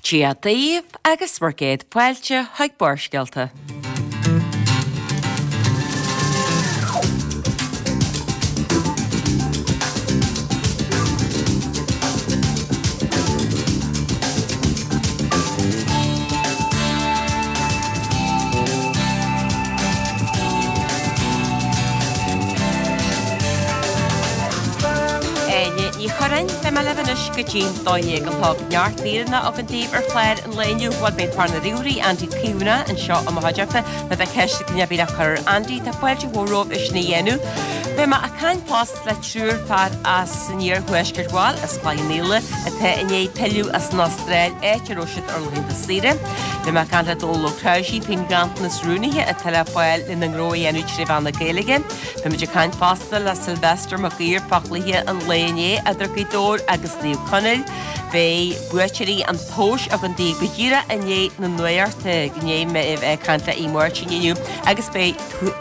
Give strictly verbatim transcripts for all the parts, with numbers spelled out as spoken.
Dia daoibh agus bhur gcéad fáilte chuig Barrscéalta. Áine Ní Churráin, beidh mé libh anois go dtí'n dó dhéag a chlog. Neart míreanna againn daoibh ar chlár an lae inniu. Bhuel, beidh fear na ríomhairí, Andy Caomhánach, anseo i mo chuideachta. Má tá ceist ag duine ar bith le cur ar Andy, tá fáilte mhór romhaibh é sin a dhéanamh. Beidh mé ag caint fosta le triúr fear as an iarthuaisceart, bhuel, as Cloich Cheann Fhaola, atá i ndiaidh pilleadh as an Astráil, áit a raibh siad ar laethanta saoire. Beidh mé ag caint le Dónal Ó Cnáimhsí faoin nganntanas rúnaithe atá le fáil lena ngnó a dhéanamh trí mheán na Gaeilge. Beimid ag caint fosta le Sylvester Mac Uidhir fá chluiche an lae inné idir Gaoth Dobhair agus Naomh Conaill. Beidh buaiteoirí an tomhais againn daoibh go díreach i ndiaidh na nuachta, i ndiaidh mé a bheith ag caint le Aodh Máirtín inniu agus beidh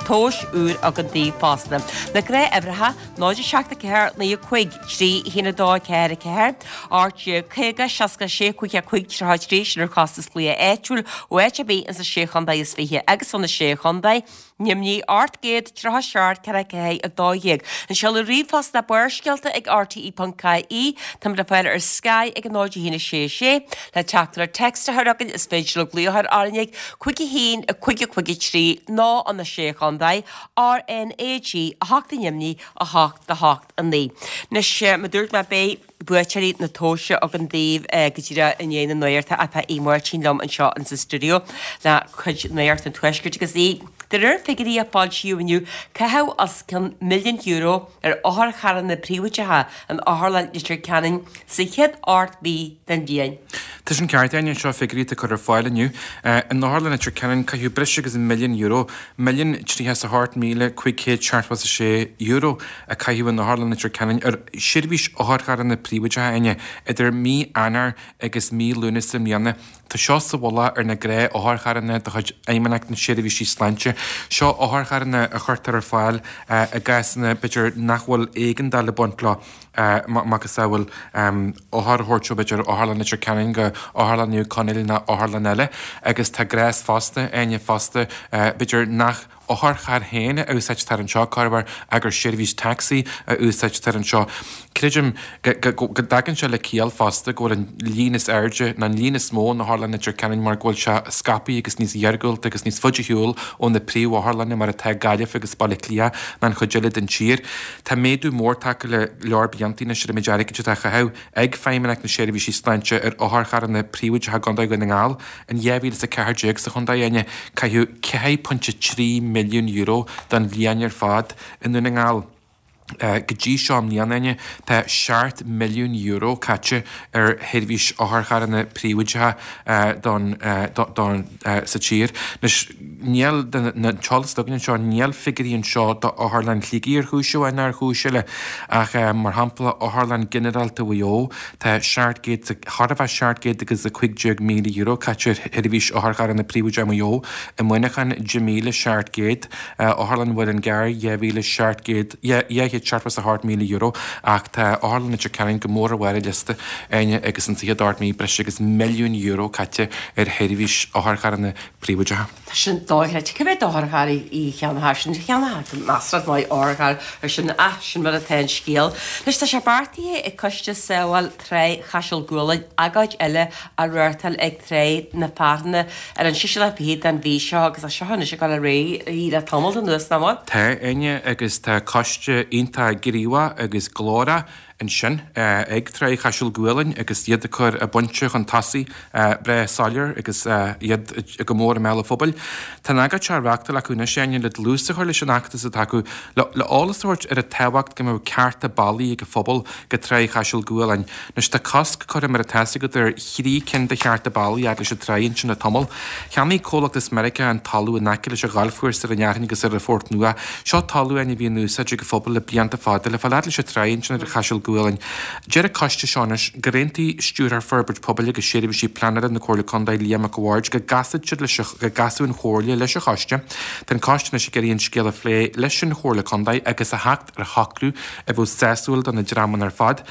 tomhas úr againn daoibh fosta. Na gnáthuimhreacha, náid a seacht a ceathair naoi a cúig trí a haon a dó a ceathair a ceathair, ocht déag caoga seasca sé cúig a cúig tríocha a trí, sin ar chostas glaoch áitiúil ó áit ar bith ins na Sé Chontae is Fiche agus ó na Sé Chontae. Nimhní ocht gcéad tríocha seacht ceithre ceathair a dó dhéag. An seoladh ríomhphost ná Barrscéalta ag R T E ponc I E. Táimid le fáil ar Sky ag a náid a haon a sé a sé. Le teachtaireacht téacs a chur chugainn is féidir libh glaoch ar R N A G cúig a haon a cúig a cúig a trí nó ó na Sé Chontae, R N A G a hocht i nDoimní a hocht a hocht a naoi. Anois mar a dúirt mé beidh buaiteoirí na tomhaise againn daoibh go díreach i ndiaidh na nuachta ach tá Aodh Máirtín liom anseo in sa stiúideo le cuid nuacht an tuaiscirt agus í De réir figiúirí a foilsíodh inniu, caitheadh os cionn milliún euro ar otharcharranna príobháideacha in Otharlann Leitir Ceanainn sa chéad ocht mhí den bhliain. Tá sin ceart, Áine, seo figiúirí atá curtha ar fáil inniu. In Otharlann Leitir Ceanainn caitheadh breis agus milliún euro, milliún tríocha is a hocht míle cúig chéad seachtó is a sé euro a caitheadh in Otharlann Leitir Ceanainn ar sheirbhís otharcharranna príobháideacha, Áine, idir mí Eanáir agus mí Lúnasa i mbliana. Tá seo sa mhullach ar na gnáth-otharcharranna de chuid Fheidhmeannacht na Seirbhísí Sláinte. Seo otharcharranna a chuirtear ar fáil i gcásanna, b'fhéidir, nach bhfuil éigeandáil ag baint leo, macasamhail othar a thabhairt ó, b'fhéidir, Otharlann Leitir Ceanainn go Otharlann Naomh Conaill nó otharlann eile. Agus tá gnás fosta, Áine, fosta, b'fhéidir, nach otharcharr féin a úsáidtear anseo, corruair ach gur seirbhís tacsaí a úsáidtear anseo. Creidim go dtagann sé le ciall fosta go bhfuil an líon is airde, nó an líon is mó in Otharlann Leitir Ceanainn mar go bhfuil sé scaipthe agus níos iargúlta agus níos faide ar shiúl ó na príomhotharlanna mar atá Gaillimh agus Baile Átha Cliath ná an chuid eile den tír. Tá méadú mór tagtha le leor blianta anois ar an méid airgid atá á chaitheamh ag Feidhmeannacht na Seirbhísí Sláinte ar otharcharranna príobháideacha i gContae Dhún na nGall. In dhá mhíle is a ceathair déag sa chontae, Áine, caitheadh ceathair pointe trí milliún euro don bhliain ar fad i nDún na nGall. Go dtí seo i mbliana, Áine, tá seacht milliún euro caite ar sheirbhís otharcharranna príobháideacha don, don, sa tír. Anois, níl, an t-eolas atá againn anseo, níl figiúirí anseo d'Otharlann Shligigh ar chúis amháin ná ar chúis eile, ach mar shampla, Otharlann Ghinearálta Mhaigh Eo, tá seacht gcéad, chóir a bheith seacht gcéad agus a cúig déag míle euro caite ar sheirbhís otharcharranna príobháideacha i Maigh Eo. I Muineachán, deich míle seacht gcéad, Otharlann Mhuileann gCearr, dhá mhíle seacht gcéad, dhá chéad seachtó is a hocht míle euro, ach tá Otharlann Leitir Ceanainn go mór ar bharr an liosta, Áine, agus insa chéad ocht mí, breis agus milliún euro caite ar sheirbhís otharcharranna príobháideacha. Tá sin dochreidte. Cé mhéad otharcharr a cheannófá sin? Cheannófá measartha maith otharcharr ar sin ach sin mar atá an scéal. Anois tá sé beartaithe ag Coiste Sábháil Trá Chaiseal Gualainn agóid eile a reáchtáil ag Trá na Fearthanna ar an seisiú lá fichead den mhí seo agus tá seo anois ag dul ar aghaidh le tamall anuas, nach bhfuil? Tá, Áine, agus tá coiste iontach gníomhach agus glórach ansin ag Trá Chaiseal Gualainn agus iad ag cur a bpointe chun tosaigh breá soiléir agus iad go mór i mbéal an phobail. Tá an agóid seo á reáchtáil acu anois, Áine, le dlús a chur leis an fheachtas atá acu le eolas a thabhairt ar an tábhacht go mbeadh cearta bealaí ag an phobal go Tráigh Chaiseal Gualainn. Anois tá cosc curtha mar atá a fhios agat ar thrí cinn de chearta bealaí fhad leis an tráigh ansin le tamall. Cheannaigh comhlacht as Meiriceá an talamh in aice leis an ghalfchúrsa ar an Fhearthainn agus ar an Phort Nua. Seo talamh Áine a bhí in úsáid ag an phobal le blianta fada le fáil fhad leis an tráigh ansin ar Chaiseal Gualainn. Deir an coiste seo anois gur aontaigh Stiúrthóir Forbairt Pobail agus Seirbhísí Pleanála na Comhairle Contae Liam Mac a' Bhaird go gcasfadh siad leis go gcasfadh an Chomhairle leis an choiste. Tá an coiste anois ag iarraidh an scéal a phlé leis an Chomhairle Contae agus a theacht ar shocrú a bheadh sásúil do na dreamanna ar fad.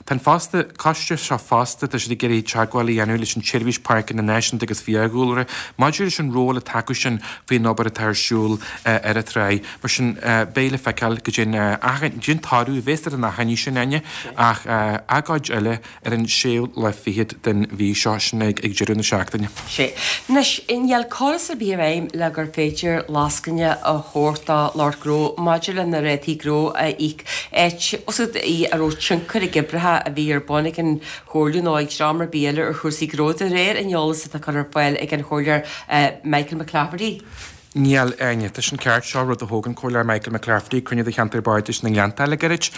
Tá an fosta, coiste seo fosta, tá siad ag iarraidh teagmháil a dhéanamh leis an tSeirbhís Páirceanna Náisiúnta agus Fiadhúlra maidir leis an ról atá acu sin faoin obair atá ar siúl ar an tráigh. Mar sin, beidh le feiceáil goidé an toradh a bheas ar an achainí sin, Áine, ach agóid eile ar an séú lá fichead den mhí seo, sin ag deireadh na seachtaine. Sea. Anois, níl córas ar bith i bhfeidhm le gur féidir lascaine a thabhairt do lucht gnó maidir le na rátaí gnó a íoc, áit a raibh tionchar ag oibreacha a bhí ar bun ag an Chomhairle nó ag dream ar bith eile ar chúrsaí gnó, de réir an eolais atá curtha ar fáil ag an Chomhairleoir Michael McClafferty. Níl, Áine. Tá sin ceart. Seo rud a thóg an Comhairleoir Michael McClafferty ag cruinniú de Cheantar Bardais na nGleannta le gairid.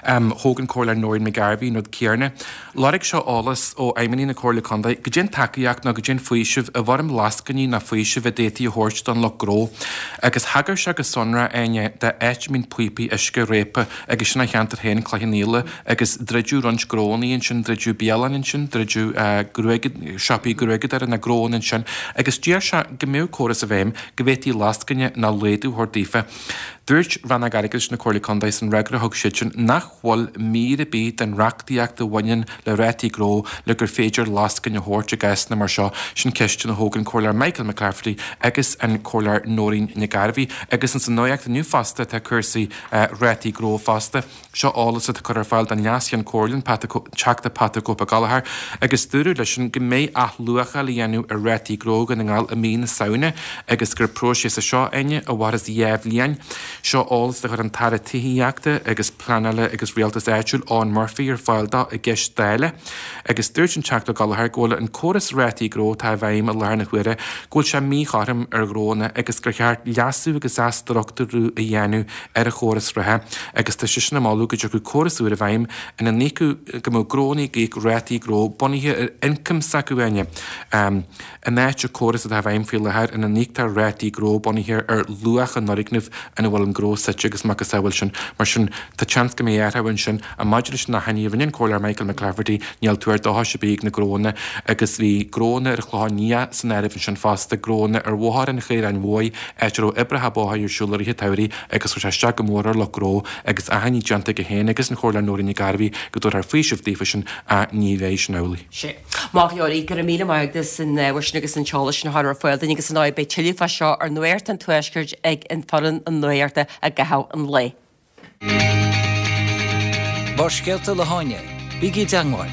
Thóg an Comhairleoir Noreen McGarvey an rud céarna. Lorg sé eolas ó fheidhmeannaigh na Comhairle Contae goidé an tacaíocht nó goidé an faoiseamh i bhfoirm lascainí nó faoisimh a d'fhéadfaí a thabhairt don lucht gnó. Agus thagair sé go sonrath, Áine, d'áit a mbíonn píopaí uisce réabtha agus sin a cheantar féin, Cloich Cheann Fhaola, agus druideadh roinnt gnónnaí ansin, druideadh bialann ansin, druideadh gruaig, siopaí gruaigeadóra nó gnónna ansin agus d'iarr sé go mbeadh córas i bhfeidhm go bhféadfaí lascaine nó laghdú a thabhairt daofa. Dúirt Rannóg Airgeadais na Comhairle Contae san fhreagra a thug siadsan nach bhfuil mír ar bith den reachtaíocht a bhaineann le rátaí gnó le gur féidir lascaine a thabhairt i gcásanna mar seo. Sin ceisteanna a thóg an Comhairleoir Michael McClafferty agus an Comhairleoir Noreen Nic Gairbhí. Agus ins an nuacht inniu fosta tá cúrsaí rátaí gnó fosta. Seo eolas atá curtha ar fáil don Leas-Cheann Comhairle, an Teachta Pat the Cope Gallagher, agus dúradh leisean go mbeidh athluacháil á dhéanamh ar rátaí gnó Dhún na nGall i mí na Samhna agus gur próiseas é seo, Áine, a mhairfeas dhá bhliain. Seo eolas a chuir an tAire Tithíochta agus Pleanála agus Rialtais Áitiúil, Eoghan Murphy, ar fáil dó i gceist Dála agus dúirt an Teachta Gallagher go bhfuil an córas rátaí gnó atá i bhfeidhm i láthair na huaire, go bhfuil sé míchothrom ar ghnóanna agus gur cheart leasú agus athstruchtúrú a dhéanamh ar an chóras reatha agus tá seisean ag moladh go dtiocfadh córas úr i bhfeidhm ina n-íocfadh, go mbeadh gnóanna ag íoc rátaí gnó bunaithe ar ioncam s'acu Áine, in áit an córas atá i bhfeidhm faoi láthair ina n-íoctar rátaí gnó bunaithe ar luach an fhoirgnimh ina bhfuil an gnó suite agus macasamhail sin. Mar sin, tá seans go mbeidh athrú ansin. Ach maidir leis an achainí a rinne an Comhairleoir Michael McClafferty, níl tuar dóchais ar bith ag na gnóanna agus bhí gnóanna ar an Chlochán Liath san áireamh ansin fosta, gnóanna ar Bhóthar an Chaoráin Mhóir, áit a raibh oibreacha bóthair ar siúl i rith an tsamhraidh agus chuir sé isteach go mór ar lucht gnó agus achainí déanta aige féin agus an Chomhairleoir Nóirín Nic Gairbhí go dtabharfar faoiseamh daofa sin ach ní bheidh sin amhlaidh. Sea. Maith go leor, go raibh míle maith agat as an ábhar sin agus an t-eolas sin a chur ar fáil dúinn agus ar ndóigh beidh tuilleadh fá seo ar Nuacht an Tuaiscirt ag an foireann an nuachta i gcaitheamh an lae. Barrscéalta le hÁine, bígí i dteangmháil,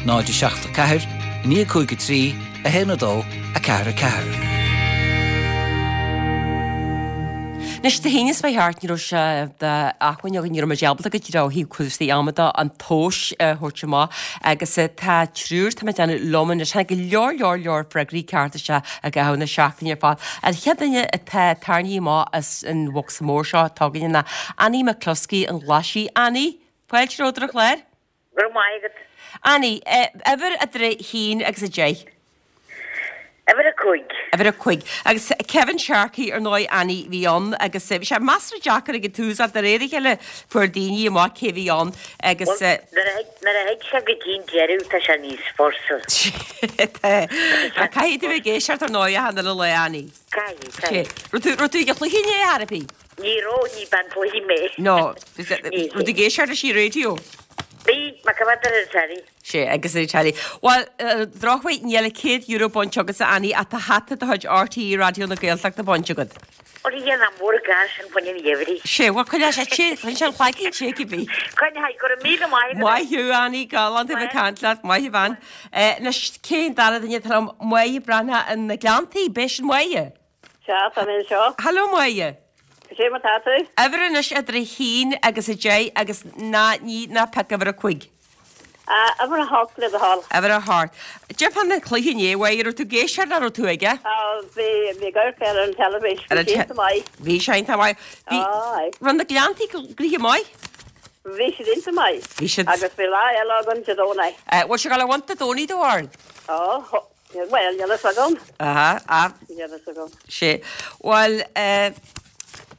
náid a seacht a ceathair, naoi a cúig a trí, a haon a dó, a ceathair a ceathair. Anois, Dé hAoine seo thart, ní raibh sé d'acmhainn againn, ní raibh muid ábalta go díreach ó thaobh cúrsaí ama de, an tomhas a thabhairt amach agus tá triúr, tá mé ag déanamh, liom anois. Tháinig go leor, leor, leor freagraí cearta isteach i gcaitheamh na seachtaine ar fad. An chéad duine atá tarraingthe amach as an bhocsa mór seo atá againne ná Annie McCluskey an Ghlaisigh. Annie, fáilte romhat ar an chlár. Go raibh maith agat. Annie, uimhir idir a haon agus a deich. Uimhir a cúig. Uimhir a cúig. Agus Kevin Sharkey, ar ndóigh, Annie, bhí ann agus bhí sé measartha deacair ag an tús ach de réir a chéile fuair daoine amach cé bhí ann agus. Bhuel, nuair a thig sé go dtí an deireadh tá sé níos fursa. Tá. Ach caithfidh tú bheith ag éisteacht ar ndóigh achan uile lá, Annie. Caithfidh, caithfidh. Raibh tú, raibh tú ag an chluiche inné, ar chor ar bith? Ní raibh, ní bean chluiche mé. No. Raibh tú ag éisteacht leis an raidió? Bhí, mé ag coimeád ar an telly. Sea, agus ar an telly. Bhuel, ar an drochuair, níl an céad euro bainte agatsa, Annie, ach tá hata de chuid RTÉ Raidió na Gaeltachta bainte agat. Ó, a Dhia nach mór an gar sin fá choinne an gheimhridh. Sea, bhuel, coinneoidh sé te, coinnigh sé an cloigeann te cibé. Coinneoidh, go raibh míle maith agat. Maith thú, Annie, galánta a bheith ag caint leat, maith a bhean. Anois, cé an dara duine atá liom? Máire Breathnach in na Gleanntaí, b'é sin Máire? Sea, tá mé anseo. Hello, Máire. Cad é mar tá tú? Uimhir anois idir a haon agus a deich agus ná, ní, ná pioc uimhir a cúig. Ah, uimhir a hocht le do thoil. Uimhir a hocht. Cad é fán chluiche inné, a Mháire, raibh tú ag éisteacht nó raibh tú aige? Ah, bhí, bhí ag amharc air ar an teilifís. Bhí sé iontach maith. Bhí sé iontach maith. Bhí, Aye. raibh na Gleanntaí gnoitheach maith? Bhí siad iontach maith. Bhí siad. Agus bhí lá eile againn Dé Domhnaigh. Eh, bhfuil sé ag dul a bhaint Dé Domhnaigh do bharr? Ó, Bhuel, níl a fhios agam. Aha, ah. Níl a fhios agam. Sea. Bhuel, eh,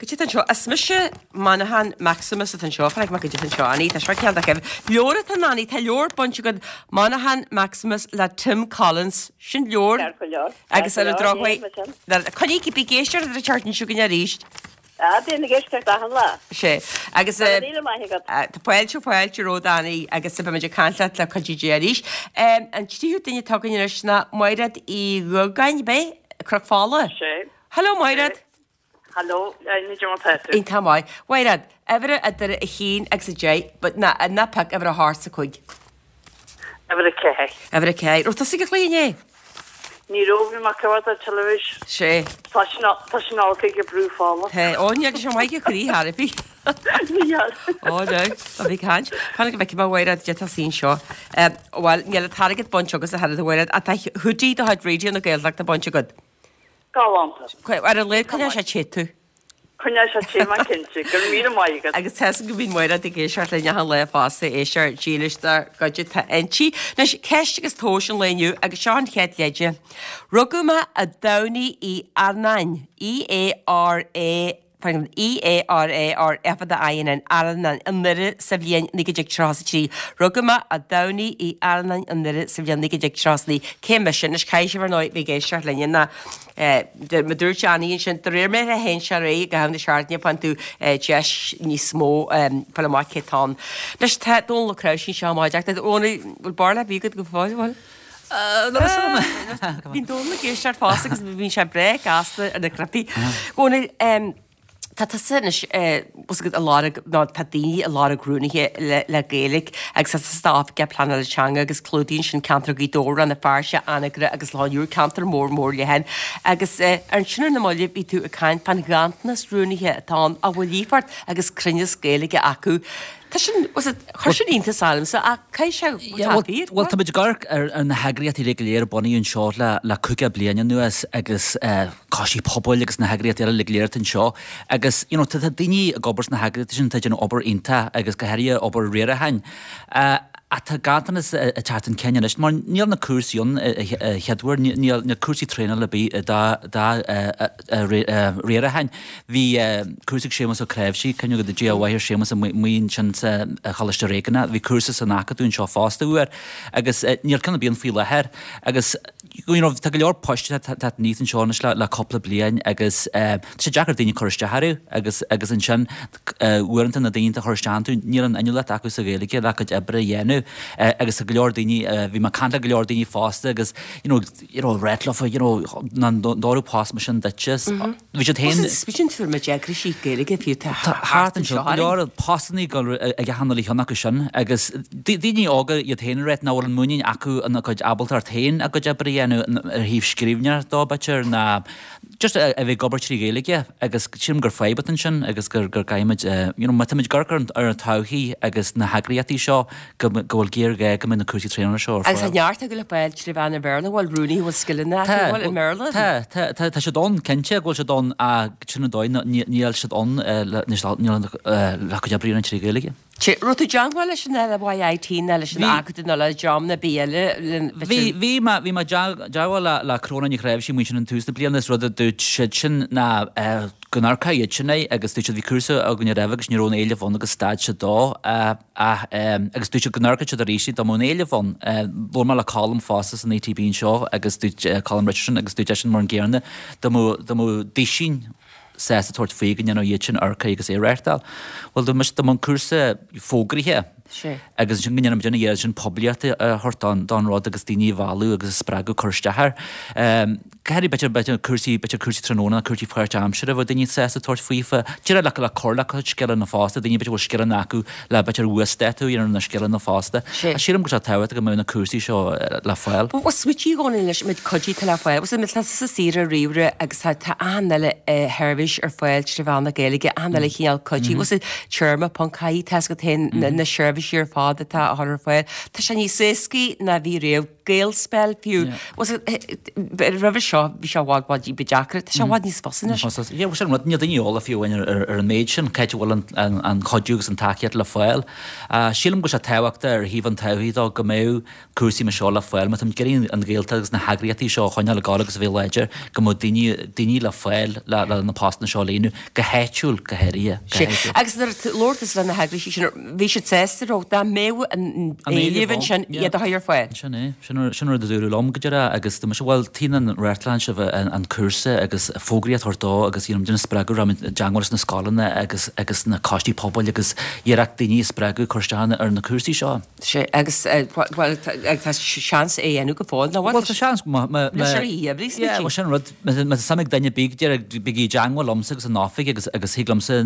cad é atá anseo? Is mise Monaghan Maximus atá anseo, chonaic mé cad é atá anseo, Annie, tá seo ceann de Kevin. Leabhar atá ann, Annie, tá leabhar bainte agat, Monaghan Maximus le Tim Collins. Sin leabhar. Ceart go leor. Agus ar an drochuair, coinnigh, bí ag éisteacht ar an tseachtain seo chugainn arís. Ah, bím ag éisteacht achan lá. Sé. Agus Tá míle maith agat. Tá fáilte fáilte romhat Annie agus beimid ag caint leat le cuidiú Dé arís. An tríú duine atá againn anois ná Máiréad Uí Dhugáin, bé? Cnoc Fola. Sé. Hello Máiréad. Hello, ní dom tá tú. Iontach maith. Mháiréad, uimhir idir a haon agus a deich, but ná ná pioc uimhir a hocht is a cúig. Uimhir a ceathair. Uimhir a ceathair. Raibh tusa ag an chluiche inné? Ní raibh, bhí mé ag amharc ar teilifís. Sé. Tá sin tá sin olc ag brú fola. Tá, ó ní agus maith go croí thar bhí. Ní hea. Ó no, tá bhí caint. Fan go bhfeicfidh mé Mháiréad de tá sin seo. Bhuel, níl an t-airgead bainte agat a Mháiréad ach tá hoodie de chuid Raidió na Gaeltachta bainte agat. Galánta. Ar a laghad coinneoidh sé te tú. Coinneoidh sé te mé cinnte, go raibh míle maith agat. Agus tá go mbíonn Máiréad ag éisteacht linn achan lá fosta éisteoir dílis dár gcuid atá inti. Anois, ceist agus tomhas an lae inniu agus seo an chéad leide. Rugadh mé a Domhnaigh Uí Earnáin, E A R A E A R A R F A I N N, Earnáin, i nDoire sa bhliain naoi déag tríocha a trí. Rugadh mé a Domhnaigh Uí Earnáin i nDoire sa bhliain naoi déag tríocha a trí. Cé mise? Anois caithfidh sibh ar ndóigh bheith ag éisteacht linne ná mar dúirt Annie ansin, de réir mar a théann sé ar aghaidh i gcaitheamh na seachtaine faigheann tú deis níos mó fáil amach cé atá ann. Anois tá Dónal Ó Cnáimhsí anseo i mo chuideachta. Dónal, bhfuil barúil ar bith agat go fóill, bhfuil? Bíonn Dónal ag éisteacht fosta agus bíonn sé breá gasta ar na cnaipí. Dónal, tá tusa anois bhfuil agat ag lorg nó tá daoine ag lorg rúnaithe le le Gaeilge agus tá tusa Oifigeach Pleanála Teanga agus clúdaíonn sin ceantar Ghaoth Dobhair, Rann na Feirste, Anagaire agus Loch an Iúir, ceantar mór mór leathan. Agus ansin ar na mallaibh bhí tú ag caint fán ghanntanas rúnaithe atá ann a bhfuil líofacht agus cruinneas Gaeilge acu. Tá sin, was it, chuir sin iontas ormsa ach caithfidh sé, Yeah, well, well, tá muid ag amharc ar, ar na heagraíochtaí uilig go léir a bunaíodh anseo le, le caoga bliain anuas agus eh, coistí pobail agus na heagraíochtaí eile uilig go léir atá anseo agus you know, tá, tá daoine ag obair sna heagraíochtaí sin atá ag déanamh obair iontach agus go háirithe obair riaracháin. Uh, ach tá ganntanas ag teacht chun cinn anois mar níl na cúrsaí ann a chéaduair, níl na cúrsaí traenála ar bith dá dá riaracháin. Bhí cúrsa ag Séamus Ó Cnáimhsí, cuimhne agat Dia a mhaith ar Séamus amuigh ansin sa Choláiste Réigiúnach, bhí cúrsa san Acadamh anseo fosta uair agus níl ceann ar bith ann faoi láthair agus you know, tá go leor poist atá aníos anseo anois le, le cúpla bliain agus tá sé deacair daoine cur isteach orthu agus agus ansin uaireanta na daoine a chur isteach iontu níl an inniúlacht acu sa Ghaeilge le cuid oibre a dhéanamh agus tá go leor daoine bhí mé ag caint le go leor daoine fosta agus you know, you know, rá leofa you know, ná post mar sin duitse. Bhí siad féin Bhí sin ma deagraí Gaeilge fiú tá thart anseo go leor postanna ag achan uile cheann acu sin agus daoine óga iad féin ag rá nach bhfuil an muinín acu ina gcuid ábaltacht féin a gcuid oibre a dhéanamh ar thaobh scríbhneoireacht dó b'fhéidir ná just a bheith ag obair trí Ghaeilge agus sílim gur fadhb atá ansin agus gur gur caithfimid you know, má táimid ag amharc ar an todhchaí agus na heagraíochtaí seo go go bhfuil géarghá go mbeidh na cúrsaí traenála seo ar Agus fáil. neart go le fáil trí mheán an Bhéarla bhfuil rúnaí bhfuil scileanna acu bhfuil i mBéarla. Tá tá tá tá siad ann cinnte go bhfuil siad ann ach sin an dóigh níl siad ann le le cuid oibre a dhéanamh trí Ghaeilge. Sé raibh tú i dteagmháil leis an LYIT nó leis an Acadamh nó le dream ar bith eile Bhí bhí mé bhí mé i dteagmháil le le Cróna Ní Chnáimhsí amuigh ansin in tús na bliana is rud a dúirt siad sin ná go n-amharcfadh iad sin é agus dúirt siad bhí cúrsa againn roimhe agus ní raibh aon éileamh ann agus stad siad dó ach agus dúirt siad go n-amharcfadh siad arís dá mbeadh aon éileamh ann. Labhair mé le Colm fosta san ETB anseo agus dúirt Colm Richardson agus dúirt eisean mar an gcéanna dá mbeadh dá mbeadh duine sásta tabhairt faoi go ndéanfadh iad sin amharc air agus é a reáchtáil. Bhuel dá mbeadh an cúrsa fógraithe agus ansin go ndéanfaidh muid ina dhiaidh sin poiblíocht a thabhairt don don rud agus daoine a mhealladh agus a spreagadh cur isteach air. Go háirithe b'fhéidir b'fhéidir cúrsaí b'fhéidir cúrsaí tráthnóna cúrsaí páirtaimseartha bheadh daoine sásta tabhairt faofa. Díreach le le cur le cuid scileanna fosta, daoine b'fhéidir bhfuil scileanna acu le b'fhéidir uasdátú a dhéanamh ar na scileanna fosta. Ach sílim go bhfuil sé tábhachtach go mbeadh na cúrsaí seo le fáil. Bhuel smaoitigh a Dhónaill anois an méid cuidiú atá le fáil. Bhuel tá sa saoire ríomhaire agus tá tá achan uile sheirbhís ar fáil trí mheán na Gaeilge, achan uile chineál cuidiú. Bhuel téarma ponc ie tá agat féin na seirbhísí ar fad atá á chur ar fáil. Tá sé níos éascaí ná bhí riamh. Gaelspell fiú. Roimhe seo bhí sé i bhfad bhfad ní ba deacra. Tá sé i bhfad níos fusa anois. Yeah, sin rud, níl daoine eolach fiú amháin ar ar an méid sin, cá háit a bhfuil an an cuidiú agus an tacaíocht le fáil. Sílim go bhfuil sé tábhachtach ar thaobh an todhchaí dó go mbeadh cúrsaí mar seo le fáil. Má táimid ag iarraidh an Ghaeltacht agus na heagraíochtaí seo a choinneáil ag gabháil agus a bheith láidir, go mbeadh daoine daoine le fáil le le na postanna seo a líonadh, go háitiúil go háirithe, go háitiúil. Agus nuair a labhair tusa le na heagraíochtaí sin, bhí siad sásta raibh dá mbeadh an éileamh ansin iad a chur ar fáil. Sin é, sin Sin sin rud a dúradh liom go deireadh agus dúirt mise bhuel taobh an reáchtálann sibh an cúrsa agus fógraíocht a thabhairt dó agus you know déanamh spreagadh raibh i dteagmháil leis na scoileanna agus agus na coistí pobail agus iarracht daoine a spreagadh cur isteach ar na cúrsaí seo. Sé agus bhuel tá seans é a dhéanamh go fóill nó Bhuel tá seans má má Leis ar oíche oibre Yeah, bhuel sin rud má tá suim ag duine bíg bígí i dteagmháil liomsa agus an oifig agus agus thig liomsa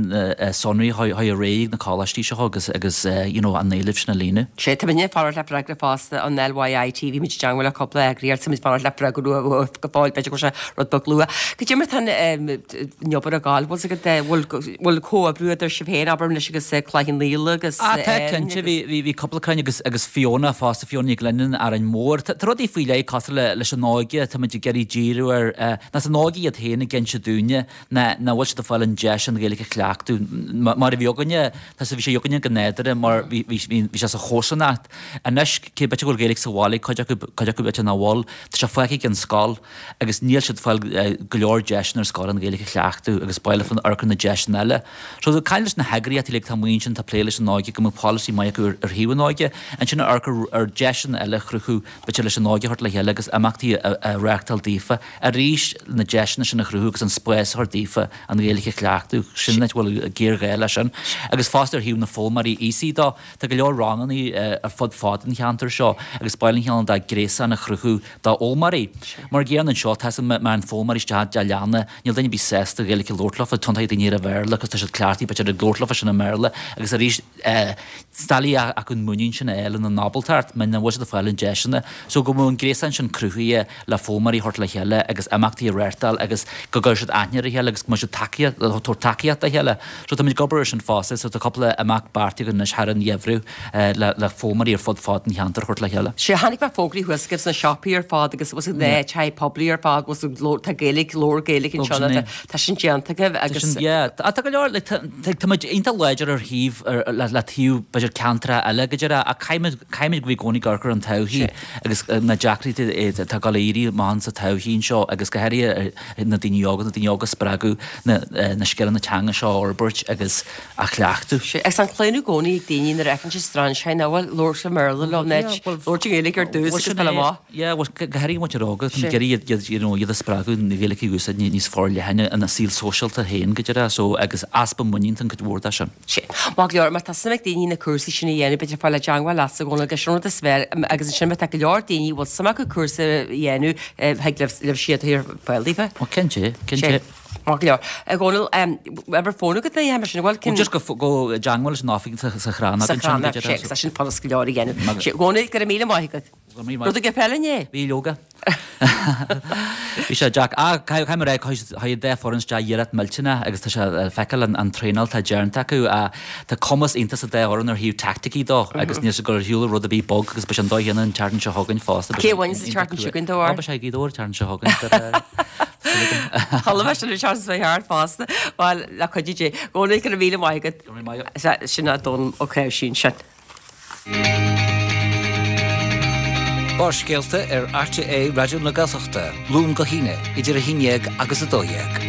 sonraí a chur ar aghaidh na coláistí seo agus agus you know an éileamh sin a líonadh. Sé tá muidne ag fanacht le freagra fosta an LYIT bhí muid i dteagmháil le cúpla eagraíocht tá muid ag fanacht le freagra uathu go fóill b'fhéidir go bhfuil sé rud beag luath. Cad é mar tá an obair ag gabháil bhfuil agat bhfuil bhfuil comhoibriú idir sibh féin abair anois agus Cloich Cheann Fhaola agus Ah tá cinnte bhí bhí bhí cúpla cruinniú agus agus Fiona fosta Fiona Ní Ghlinneáin Árainn Mhór. Tá tá rudaí faoi leith cosúil le leis an óige tá muid ag iarraidh díriú ar ná san óige iad féin ag inse dúinne ná nach bhfuil siad ag fáil an deis an Ghaeilge a chleachtadh mar a bhí againne tá bhí sé againne go nádúrtha mar bhí bhí bhí sé sa chomharsanacht. Anois cé b'fhéidir go bhfuil Gaeilge sa bhaile cuid acu cuid acu b'fhéidir nach bhfuil tá sé fágtha ag an scoil agus níl siad fáil go leor deiseanna ar scoil an Ghaeilge a chleachtadh agus baile fan amharc ar na deiseanna eile. So tá caint leis na heagraíochtaí uilig tá muintir tá plé leis an óige go mbeadh polasaí maith acu ar ar thaobh an óige ansin amharc ar ar deiseanna eile a chruthú b'fhéidir leis an óige a thabhairt le chéile agus imeachtaí a a reáchtáil daofa arís na deiseanna sin a chruthú agus an spás a chur daofa an Ghaeilge a chleachtadh sin an áit a bhfuil géarghá leis sin. Agus fosta ar thaobh na foghlaimeoirí aosaigh dó tá go leor ranganna ar fud fad an cheantair seo agus baile an cheann dá gréasán a chruthú dá fhoghlaimeoirí. Mar gcéanna anseo tá mar an foghlaimeoirí isteach de leanna níl duine ar bith sásta Gaeilge a labhairt leofa tiontaithe daoine ar an Bhéarla agus tá siad cleachtaithe b'fhéidir ag labhairt leofa sin i mBéarla agus arís is doiligh acu an muinín sin a fháil ina n-ábaltacht mar nach bhfuil siad ag fáil an deiseanna so go bhfuil an gréasán sin cruthaithe le foghlaimeoirí a thabhairt le chéile agus imeachtaí a reáchtáil agus go gcuirfidh siad aithne ar a chéile agus go mbeidh siad tacaíocht tabhairt tacaíocht dá chéile. So táimid ag obair ar sin fosta so tá cúpla imeacht beartaithe againn anois thar an gheimhreadh le le foghlaimeoirí ar fud fad an cheantair a thabhairt le chéile. Sé tháinig mé fógraí thuas agaibh sna siopaí ar fad agus was na tithe poiblí ar fad was tá Gaeilge leabhar Gaeilge anseo tá tá sin déanta agaibh agus Yeah, tá go leor like, tá tá muid iontach láidir ar thaobh le le taobh b'fhéidir ceantracha eile go deireadh ach caithfimid caithfimid go bhí i gcónaí ag amharc ar an todhchaí agus na deacrachtaí atá ag dul ag éirí amach sa todhchaí anseo agus go háirithe na daoine óga na daoine óga a spreagadh na na scileanna teanga seo a fhorbairt agus a chleachtadh. Sé agus an claonadh i gcónaí ag daoine nuair a fheiceann siad strainséir ná bhuel labhairt i mBéarla leo nó labhairt i nGaeilge ar dtús agus fáil amach. Yeah, well go háirithe muintir óga tá muid ag iarraidh iad you know iad a spreagadh na Gaeilge a úsáid níos forleithne ina saol sóisialta féin go deireadh so agus easpa muinín an cuid mhór de sin. Sé. Maith go leor, má tá suim ag daoine na cúrsaí sin a dhéanamh, b'fhéidir fáil i dteangmháil leatsa a Dhónaill agus sin rud is fearr agus ansin má tá go leor daoine a bhfuil suim acu cúrsa a dhéanamh, thig libh libh siad a chur ar fáil daofa. Ó cinnte, cinnte. Sé. Maith go leor. A Dhónaill, uimhir fóin agat a dhéanamh mar sin, bhfuil cinn. Just go go i dteangmháil leis an oifig sa sa Chrannóg Sa ansin go Chrannóg, sé, deireadh. agus tá sin furast go leor a dhéanamh. Maith Sé, a Dhónaill, go raibh míle maith agat. Go raibh míle maith. Rud agaibh eile inné? Bhí leoga. Bhí sé deacair. Ah, caithfidh mé a rá, chuaigh an dá foireann isteach iarracht millteanach agus tá sé le feiceáil an traenáil atá déanta acu. Tá cumas iontach sa dá fhoireann ar thaobh teaicticí dó agus níl siad ag dul ar shiúl rud ar bith bog agus beidh sé an dóigh chéanna an tseachtain seo chugainn fosta. Cé a bhain sa tseachtain seo chugainn dó? Á, beidh sé ag Gaoth Dobhair an tseachtain seo chugainn. Chuala mé sin an tseachtain seo thart fosta. Bhuel, le cuidiú Dé. Dónall, go raibh míle maith agat. Go raibh míle maith agat. Sin é Dónall Ó Cnáimhsí ansin. Barrscéalta ar RTÉ Raidió na Gaeltachta, Luan go hAoine, idir a haon déag agus a dó dhéag.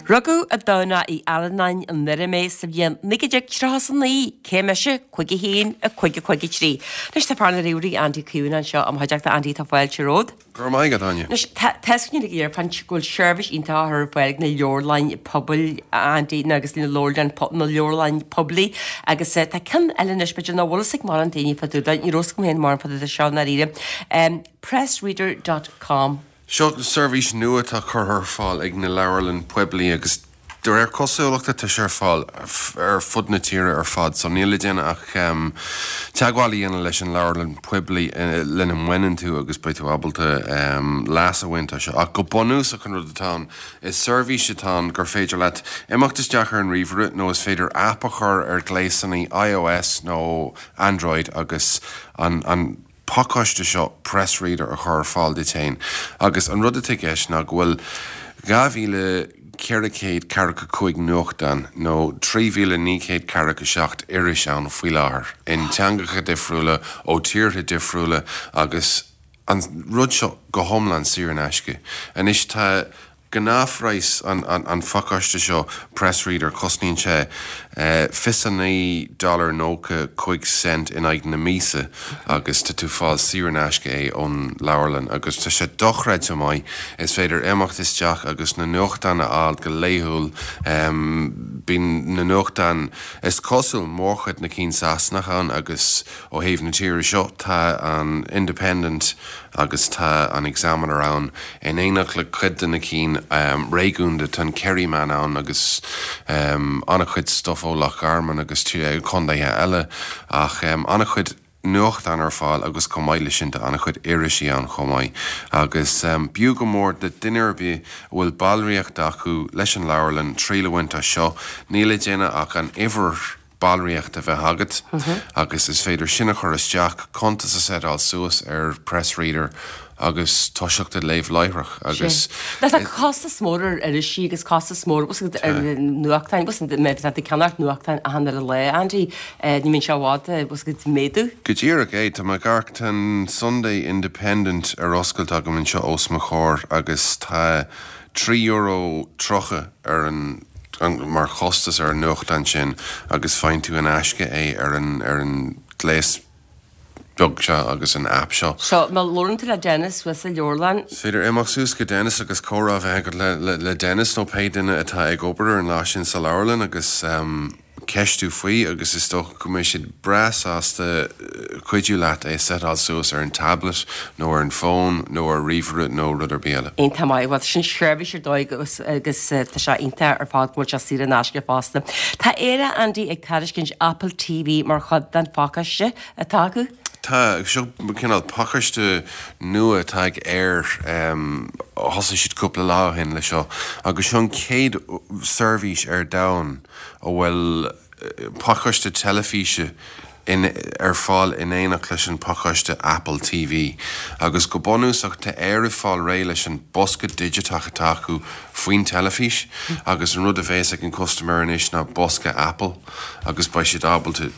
Rugadh i dTamhnach Uí Alannáin i nDoire mé sa bhliain naoi déag tríocha is a naoi, cé mise, cúig a haon, a cúig a cúig a trí. Anois tá fear na ríomhairí Andy Caomhánach anseo i mo chuideachta. Andy, tá fáilte romhat. Go raibh maith agat, Áine. Anois, tá tá a fhios againn uilig ar fad go bhfuil seirbhís iontach á chur ar fáil ag na leabharlainn pobail, Andy, nó agus na leabharlainn na leabharlainn poiblí agus tá ceann eile anois, b'fhéidir nach bhfuil fhios ag mórán daoine fá dtaobh de, ní raibh fhios agam féin mórán fá dtaobh de seo i ndáiríre, pressreader dot com. Seo seirbhís nua atá curtha ar fáil ag na leabharlann poiblí agus De réir cosúlachta tá sé ar fáil ar fud na tíre ar fad so níl le déanamh ach teagmháil a dhéanamh leis an leabharlann poiblí lena mbaineann tú agus beidh tú ábalta leas a bhaint as seo. Ach go bunúsach an rud atá ann, is seirbhís atá ann gur féidir leat imeacht isteach ar an ríomhaire nó is féidir aip a chur ar ghléasanna iOS nó Android agus an an pacáiste seo PressReader a chur ar fáil duit féin agus an rud atá i gceist ná go bhfuil dhá mhíle ceithre chéad ceathracha cúig nuachtán nó trí mhíle naoi gcéad ceathracha seacht iris ann faoi láthair in teangacha difriúla ó tíortha difriúla agus an rud seo go hiomlán saor in aisce. Anois tá gnáthphraghas an an phacáiste seo PressReader cosnaíonn sé Fiche a naoi dollar nócha cúig cent in aghaidh na míosa agus tá tú fáil saor in aisce é ón leabharlann agus tá sé dochreidte maith. Is féidir imeacht isteach agus na nuachtáin a fháil go laethúil. Bíonn na nuachtáin is cosúil mórchuid na cinn Sasanach ann agus ó thaobh na tíre seo tá an Independent agus tá an Examiner ann in éineacht le cuid de na cinn réigiúnda, tá an Kerryman ann agus an-chuid stuif ó Loch Garman agus contaetha eile ach an-chuid nuachtán ar fáil agus chomh maith leis sin tá an-chuid irisí ann chomh maith. Agus b'fhiú go mór do duine ar bith a bhfuil ballraíocht acu leis an leabharlann triail a bhaint as seo, níl le déanamh ach an uimhir ballraíocht a bheith agat agus is féidir sin a chur isteach, cuntas a setáil suas ar Press Reader agus toiseacht ag léamh láithreach agus. Tá costas mór ar irisí agus costas mór ar nuachtáin, má tá tú ag ceannacht nuachtáin achan uile lá, Andy, ní mbíonn sé i bhfad ag méadú. Go díreach é, tá mé ag amharc, tá an Sunday Independent ar oscailt agam anseo os mo chomhair agus tá trí euro tríocha ar an mar chostas ar an nuachtán sin agus faigheann tú in aisce é ar an ar an gléas beag seo agus an app seo. So, má labhrann tú le Dennis thuas sa leabharlann. Is féidir imeacht suas go Dennis agus comhrá a bheith agat le le le Dennis nó pé duine atá ag obair ar an lá sin sa leabharlann agus ceistiú faoi agus is dócha go mbeidh siad breá sásta cuidiú leat é a setáil suas ar an tablet nó ar an bhfón nó ar ríomhaire nó rud ar bith eile. Iontach maith, bhuel sin seirbhís ar dóigh agus agus tá sé iontach ar fad go bhfuil sé saor in aisce fosta. Tá Éire, Andy, ag tairiscint Apple TV mar chuid den phacáiste atá acu. Tá, seo cineál pacáiste nua atá ag Eir, thosaigh siad cúpla lá ó shin le seo agus seo an chéad seirbhís ar domhan a bhfuil pacáiste teilifíse in ar fáil in éineacht leis an pacáiste Apple TV agus go bunúsach tá Eir ag fáil réidh leis an bosca digiteach atá acu faoin teilifís agus an rud a bheas ag an custaiméir anois ná bosca Apple agus beidh siad ábalta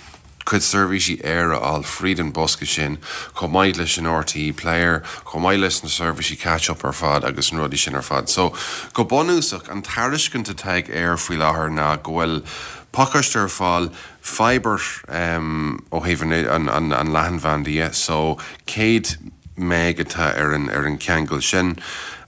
cuid seirbhísí Eir a fháil fríd an bosca sin, chomh maith leis an RTÉ Player, chomh maith leis na seirbhísí catch up ar fad agus na rudaí sin ar fad. So, go bunúsach, an tairiscint atá ag Eir faoi láthair ná go bhfuil pacáiste ar fáil, fibre ó thaobh an an leathanbhanda dhe, so céad meg atá ar an ar an cheangal sin,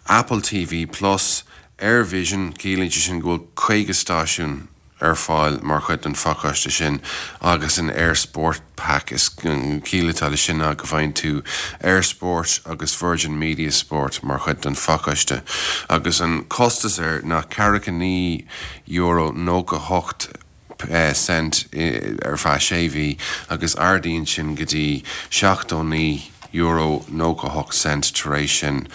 Apple TV Plus, Eirvision, ciallaíonn sé sin go bhfuil caoga stáisiún, ar fáil mar chuid den phacáiste sin agus an Eir Sport Pack. Is an chiall atá leis sin ná go bhfaigheann tú Eir Sport agus Virgin Media Sport mar chuid den phacáiste agus an costas air ná ceathracha naoi euro nócha hocht cent ar feadh sé mhí agus ardaíonn sin go dtí seachtó naoi euro nócha hocht cent tar éis sin.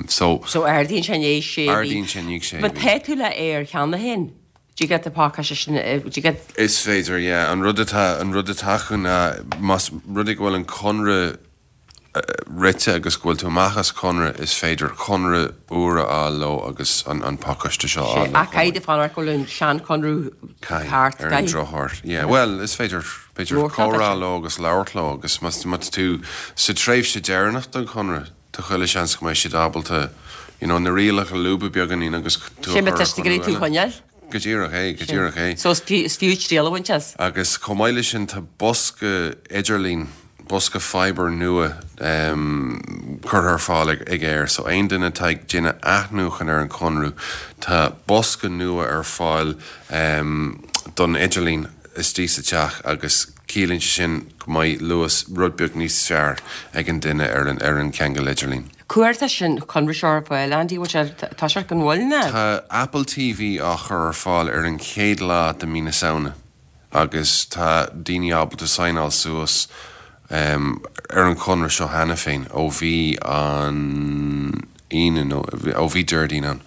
So. So ardaíonn sé i ndiaidh sé mhí. Ardaíonn sé i ndiaidh sé mhí. Má tá tú le Eir cheana féin? Do you get the pacáiste sin, do you get. Is féidir, yeah. An rud atá, an rud atá acu ná más rud é go bhfuil an conradh rite agus go bhfuil tú amach as conradh, is féidir conradh úr a fháil leo agus an, an pacáiste seo a fháil leo Ach caithfidh tú fanacht go bhfuil an seanchonradh thart, Caithfidh, ar an drochuair. Yeah, bhuel, is féidir, b'fhéidir comhrá leo agus labhairt leo agus más, má tá tú sa tréimhse deireanach den chonradh, Tá chuile seans go mbeidh siad ábalta you know na rialacha a lúbadh beagáinín agus tú a Sin chur ar tá siad ag iarraidh tú a chonradh eile. choinneáil. Go díreach é, go Sin. díreach é. So is fiú, is fiú triail a bhaint as. Agus chomh maith leis sin tá bosca idirlín, bosca fibre nua em curtha ar fáil ag ag Eir. So aon duine atá ag déanamh athnuachan ar an chonradh tá bosca nua ar fáil em don idirlíon istigh sa teach agus Ciallaíonn sé sin go mbeidh luas rud beag níos fearr ag an duine ar an ar an cheangal idirlín. Cá huair atá sin conradh seo ar fáil, Andy, bhfuil sé tá sé go mall ná? Tá Apple TV á chur ar fáil ar an chéad lá de mí na Samhna agus tá daoine ábalta signeáil suas ar an chonradh seo cheana féin ó bhí an Aoine nó ó bhí Déardaoin ann.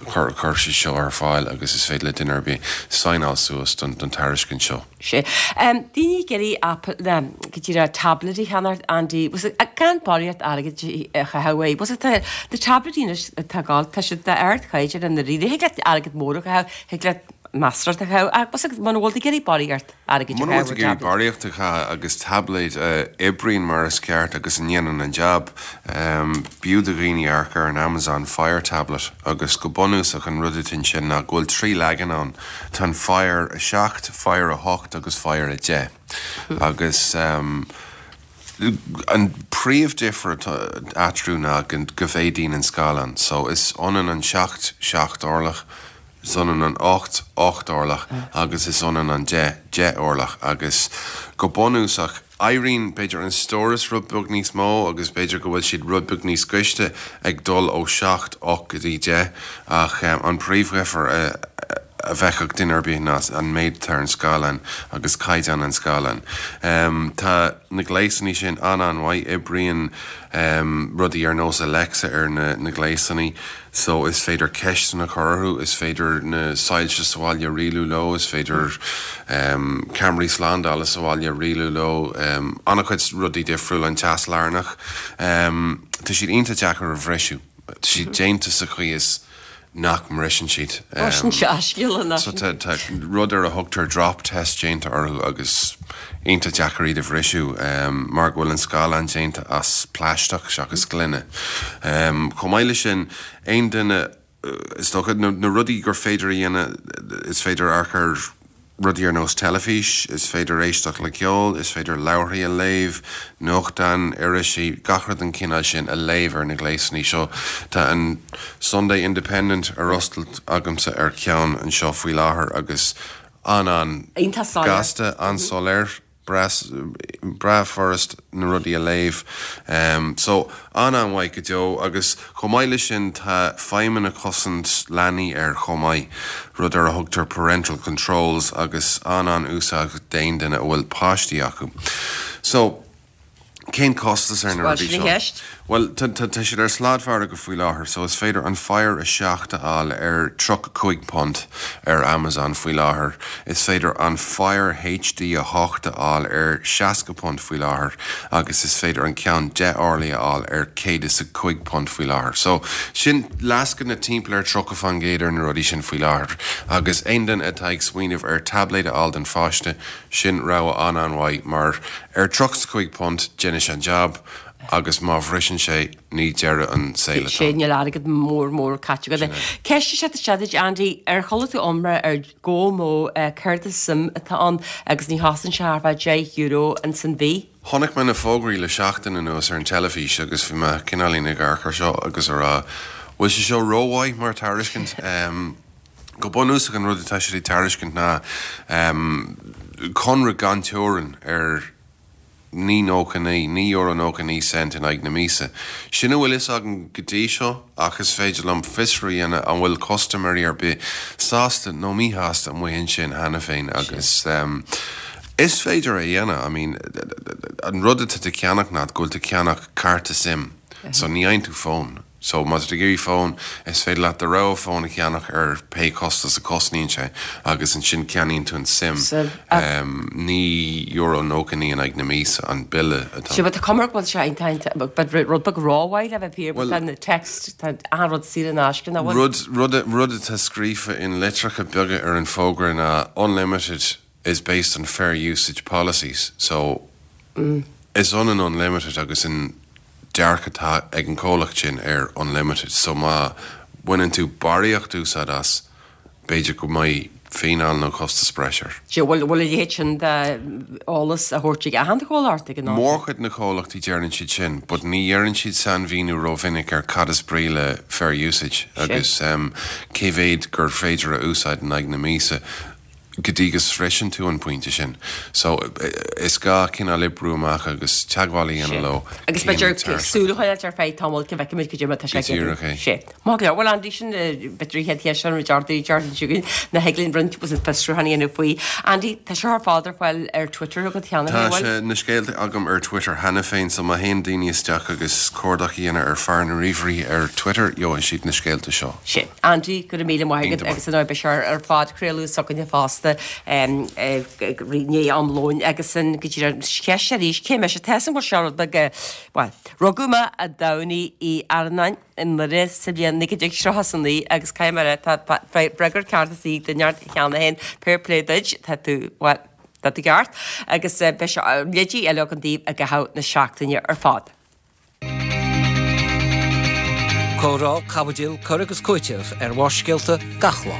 Chuir chuir siad seo ar fáil agus is féidir le duine ar bith signeáil suas don don tairiscint seo. Sea. Daoine ag iarraidh Apple ná go díreach tablet a cheannacht, Andy, was it gan barraíocht airgid a chaitheamh uaidh. Was it tá na tabletí anois atá ag gabháil, tá siad d'ardchaighdeán i ndáiríre. Thig leat airgead mór a chaitheamh, thig leat measartha a chaitheamh ach agus muna bhfuil tú ag iarraidh barraíocht airgid a Muna bhfuil chaitheamh tú ar ag iarraidh tablet. barraíocht a chaitheamh agus tablet a oibríonn mar is ceart agus a ndéanann an jab, b'fhiú do dhaoine amharc ar an Amazon Fire Tablet agus go bunúsach an rud atá ansin ná go bhfuil trí leagan ann, tá an Fire a seacht, Fire a hocht agus Fire a deich agus an príomhdhifear atá eatarthu ná go mhéadaíonn an scáileán so is ionann an seacht seacht orlach, is ionann an ocht ocht orlach agus is ionann an deich deich orlach agus go bunúsach éiríonn b'fhéidir an stóras rud beag níos mó agus b'fhéidir go bhfuil siad rud beag níos gaiste ag dul ó seacht ocht go dtí deich ach an príomhdhifear a a bhfeicfeadh duine ar bith ná an méid atá ar an scáileán agus caighdeán an scáileáin. Tá na gléasanna sin an-an-mhaith, oibríonn rudaí ar nós Alexa ar na na gléasanna so is féidir ceisteanna a chur orthu, is féidir na soilse sa bhaile a rialú leo, is féidir ceamaraí slándála sa bhaile a rialú leo, an-chuid rudaí difriúla, an teas lárnach. Tá siad iontach deacair a bhriseadh, tá siad déanta sa chaoi is nach mbriseann siad. Ó sin dea-scéala nach So tá tá rud ar a thugtar drop test déanta orthu agus iontach deacair iad a bhriseadh mar go bhfuil an scáileán déanta as plaisteach seachas gloine. Chomh maith leis sin, aon duine is dócha na na rudaí gur féidir a dhéanamh is féidir amharc ar rudaí ar nós teilifís, is féidir éisteacht le ceol, is féidir leabharthaí a léamh, nuachtáin, irisí, gach rud den chineál sin a léamh ar na gléasanna seo. Tá an Sunday Independent ar oscailt agamsa ar ceann anseo faoi láthair agus an-an Iontach soiléir. gasta, an-soiléir. breá furast na rudaí a léamh. So, an-an-mhaith go deo agus chomh maith leis sin tá feidhmeanna cosaint leanaí air chomh maith, rud ar a thugtar parental controls agus an-an-úsáideach d'aon duine a bhfuil páistí acu. So, cén costas ar na Bhuel, rudaí sin an seo? cheist. Bhuel, tá tá siad ar sladmhargadh faoi láthair, so is féidir an Fire a seacht a fháil ar tríocha cúig punt ar Amazon faoi láthair. Is féidir an Fire HD a hocht a fháil ar seasca punt faoi láthair agus is féidir an ceann deich orlaí a fháil ar céad is a cúig punt faoi láthair. So sin lascaine timpeall ar tríocha faoin gcéad ar na rudaí sin faoi láthair. Agus aon duine atá ag smaoineamh ar tablet a fháil don pháiste, sin rogha an-an-mhaith mar ar tríocha is a cúig punt déanfaidh sé an jab agus má bhriseann sé ní deireadh an saoil atá Sé níl airgead mór mór caite agat. Sin é. Ceist is ea isteach duit Andy, ar chuala tú iomrá ar GoMo céard is SIM atá ann agus ní chosain sé thar feadh deich euro ins an mhí? Chonaic mé na fógraí le seachtain anuas ar an teilifís agus bhí mé cineáilín ag amharc air seo agus a rá bhfuil sé seo rómhaith mar tairiscint. Go bunúsach an rud atá siad ag tairiscint ná conradh gan teorainn ar naoi nócha naoi, naoi euro nócha naoi cent in aghaidh na míosa. Sin a bhfuil fhios agam go dtí seo ach is féidir liom fiosrú a dhéanamh an bhfuil custaiméirí ar bith sásta nó míshásta amuigh ansin cheana féin agus is féidir a dhéanamh, I mean an rud atá tú ag ceannach ná go bhfuil tú ag ceannach cárta SIM so ní fhaigheann tú fón. So má tá tú ag iarraidh fón, is féidir leat do rogha fón a cheannach ar pé costas a cosnaíonn sé agus ansin ceannaíonn tú an SIM. SIM. Naoi euro nócha naoi in aghaidh na míosa an bille atá. Sea, but tá cuma air go bhfuil sé iontach, but rud beag rómhaith le bheith fíor, but tá na text, tá achan rud saor in aisce, nach bhfuil? Rud, rud, rud atá scríofa in litreacha beaga ar an bhfógra ná unlimited is based on fair usage policies. So is ionann unlimited agus an dearcadh atá ag an comhlacht sin ar unlimited. So má bhaineann tú barraíocht úsáid as, b'fhéidir go mbeidh fíneáil nó costas breise air. Sea, bhfuil bhfuil a leithéid sin d'eolas a thabhairt ag achan chomhlacht ag an am? Mórchuid na comhlachtaí deireann siad sin, but ní dheireann siad sainmhíniú rómhinic ar cad is brí le fair usage agus cé mhéad gur féidir a úsáid in aghaidh na míosa. go dtí go sroiseann tú an pointe sin. So is gá cineál oibriú amach agus teagmháil a dhéanamh leo. Agus b'fhéidir súil a choinneáil ar feadh tamaill go bhfeicfimid cad é mar atá sé Go díreach é. Sé. Maith go leor. Bhuel Andy sin b'fhéidir an chéad cheist sin rud ardú dearfaidh chugainn na thig linn roinnt was fiosrúchán a dhéanamh faoi. Andy, tá seo ar fad ar fáil ar Twitter agat cheana Tá féin, bhfuil? sé na scéalta agam ar Twitter cheana féin, so má théann daoine isteach agus cuardach a dhéanamh ar fear na ríomhairí ar Twitter, gheobhaidh siad na scéalta seo. Sé. Andy, go raibh míle maith agat Iontach. agus an obair seo ar fad craoladh s'againne fosta. fosta i ndiaidh am lóin agus an go dtí an cheist arís cé mise tá san bhfuil seo rud beag bhuel rugadh mé i dTamhnaigh Uí Arnáin i nDoire sa bhliain naoi déag tríocha is a naoi agus caithfidh mé a rá tá freagra ceart is í do neart cheana féin fair play duit tá tú bhuel tá tú ceart agus beidh seo leidí eile agam daoibh i gcaitheamh na seachtaine ar fad. Comhrá, caibidil, cur agus cúiteamh ar Bharrscéalta gach lá.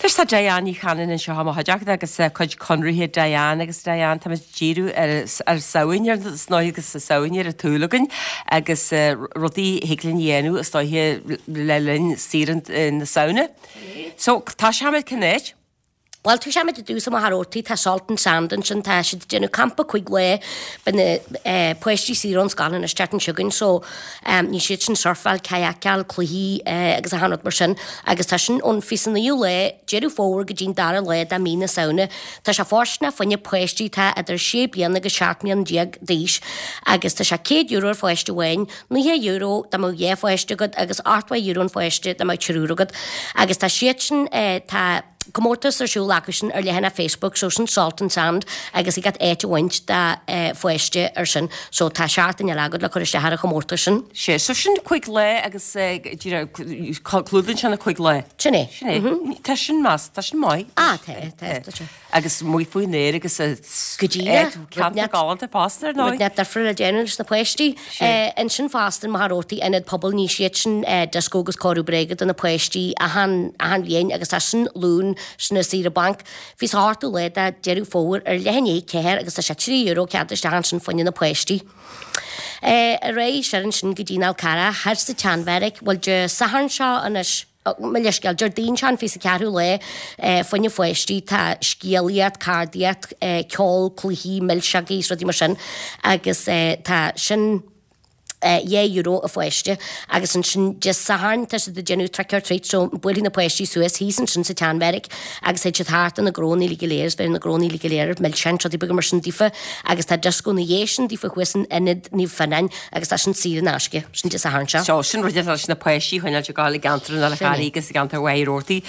Anois tá Diane Ní Chanainn anseo i mo chuideachta agus cuid conraithe Diane agus Diane tá muid ag díriú ar ar Samhain ar is ndóigh agus Samhain ar an tsúil againn agus rudaí a thig linn a dhéanamh is dóiche le linn saoire na Samhna. So tosóimid cén áit? Bhuel, tosóimid i dtús i Machaire Rabhartaigh, tá Salt and Sand ansin, tá siad ag déanamh campa cúig lá, beidh na páistí saor ón scoil anois tseachtain seo chugainn so ní siad sin surfáil, kayakáil, cluichí agus achan rud mar sin agus tá sin ón fiche is naoú lá Deireadh Fómhair go dtí'n dara lá de mí na Samhna. Tá sé fóirsteanach fá choinne páistí atá idir sé bliana agus seacht mbliana déag d'aois agus tá sé céad euro ar pháiste amháin, nócha euro dá mbeadh dhá pháiste agat agus ochtó euro an pháiste dá mbeadh triúr agat agus tá siad sin tá comórtas ar siúl acu sin ar leathanach Facebook so sin Salt and Sand agus ag iad áit a bhaint do pháiste ar sin so tá seachtain eile agat le cur isteach ar an chomórtas sin. Sé so sin cúig lá agus clúdaíonn sé na cúig lá. Sin é. Sin é. Tá sin meas, tá sin maith. Ah tá, tá, tá sé. Agus amuigh faoin aer agus Go díreach. ceantar galánta fosta ar ndóigh. Rud inteacht difriúil le déanamh leis na páistí. Ansin fosta i Machaire Rabhartaigh Ionad Pobail ní siad sin dioscó agus cóiriú bréige do na páistí achan achan bhliain agus tá sin Luan sin ar saoire bainc. Fiche is a hochtú lá de Deireadh Fómhair ar leath i ndiaidh a ceathair agus tá sé trí euro cead isteach ansin fá choinne na páistí. Ar aghaidh soir ansin go dtí an Fhál Carrach thoir sa tSeanbheairic bhuel Dé Sathairn seo anois mo leithscéal, Déardaoin seo an fiche is a ceathrú lá fá choinne pháistí tá scéalaíocht, ceardaíocht, ceol, cluichí, milseogaí is rudaí mar sin agus tá sin dhá euro a pháiste agus ansin Dé Sathairn tá siad ag déanamh trick or treat so buailfidh na páistí suas thíos ansin sa tSeanbheairic agus théid siad thart ar na gnónna uilig go léir is beidh na gnónna uilig go léir milseáin is rudaí beaga mar sin daofa agus tá dioscó ina dhiaidh sin daofa thuas in Ionad Naomh Fionnán agus tá sin saor in aisce sin Dé Sathairn seo. So sin rud leis na páistí a choinneáil ag gabháil i gceantar an Fháil Charraigh agus i gceantar Mhachaire Rabhartaigh.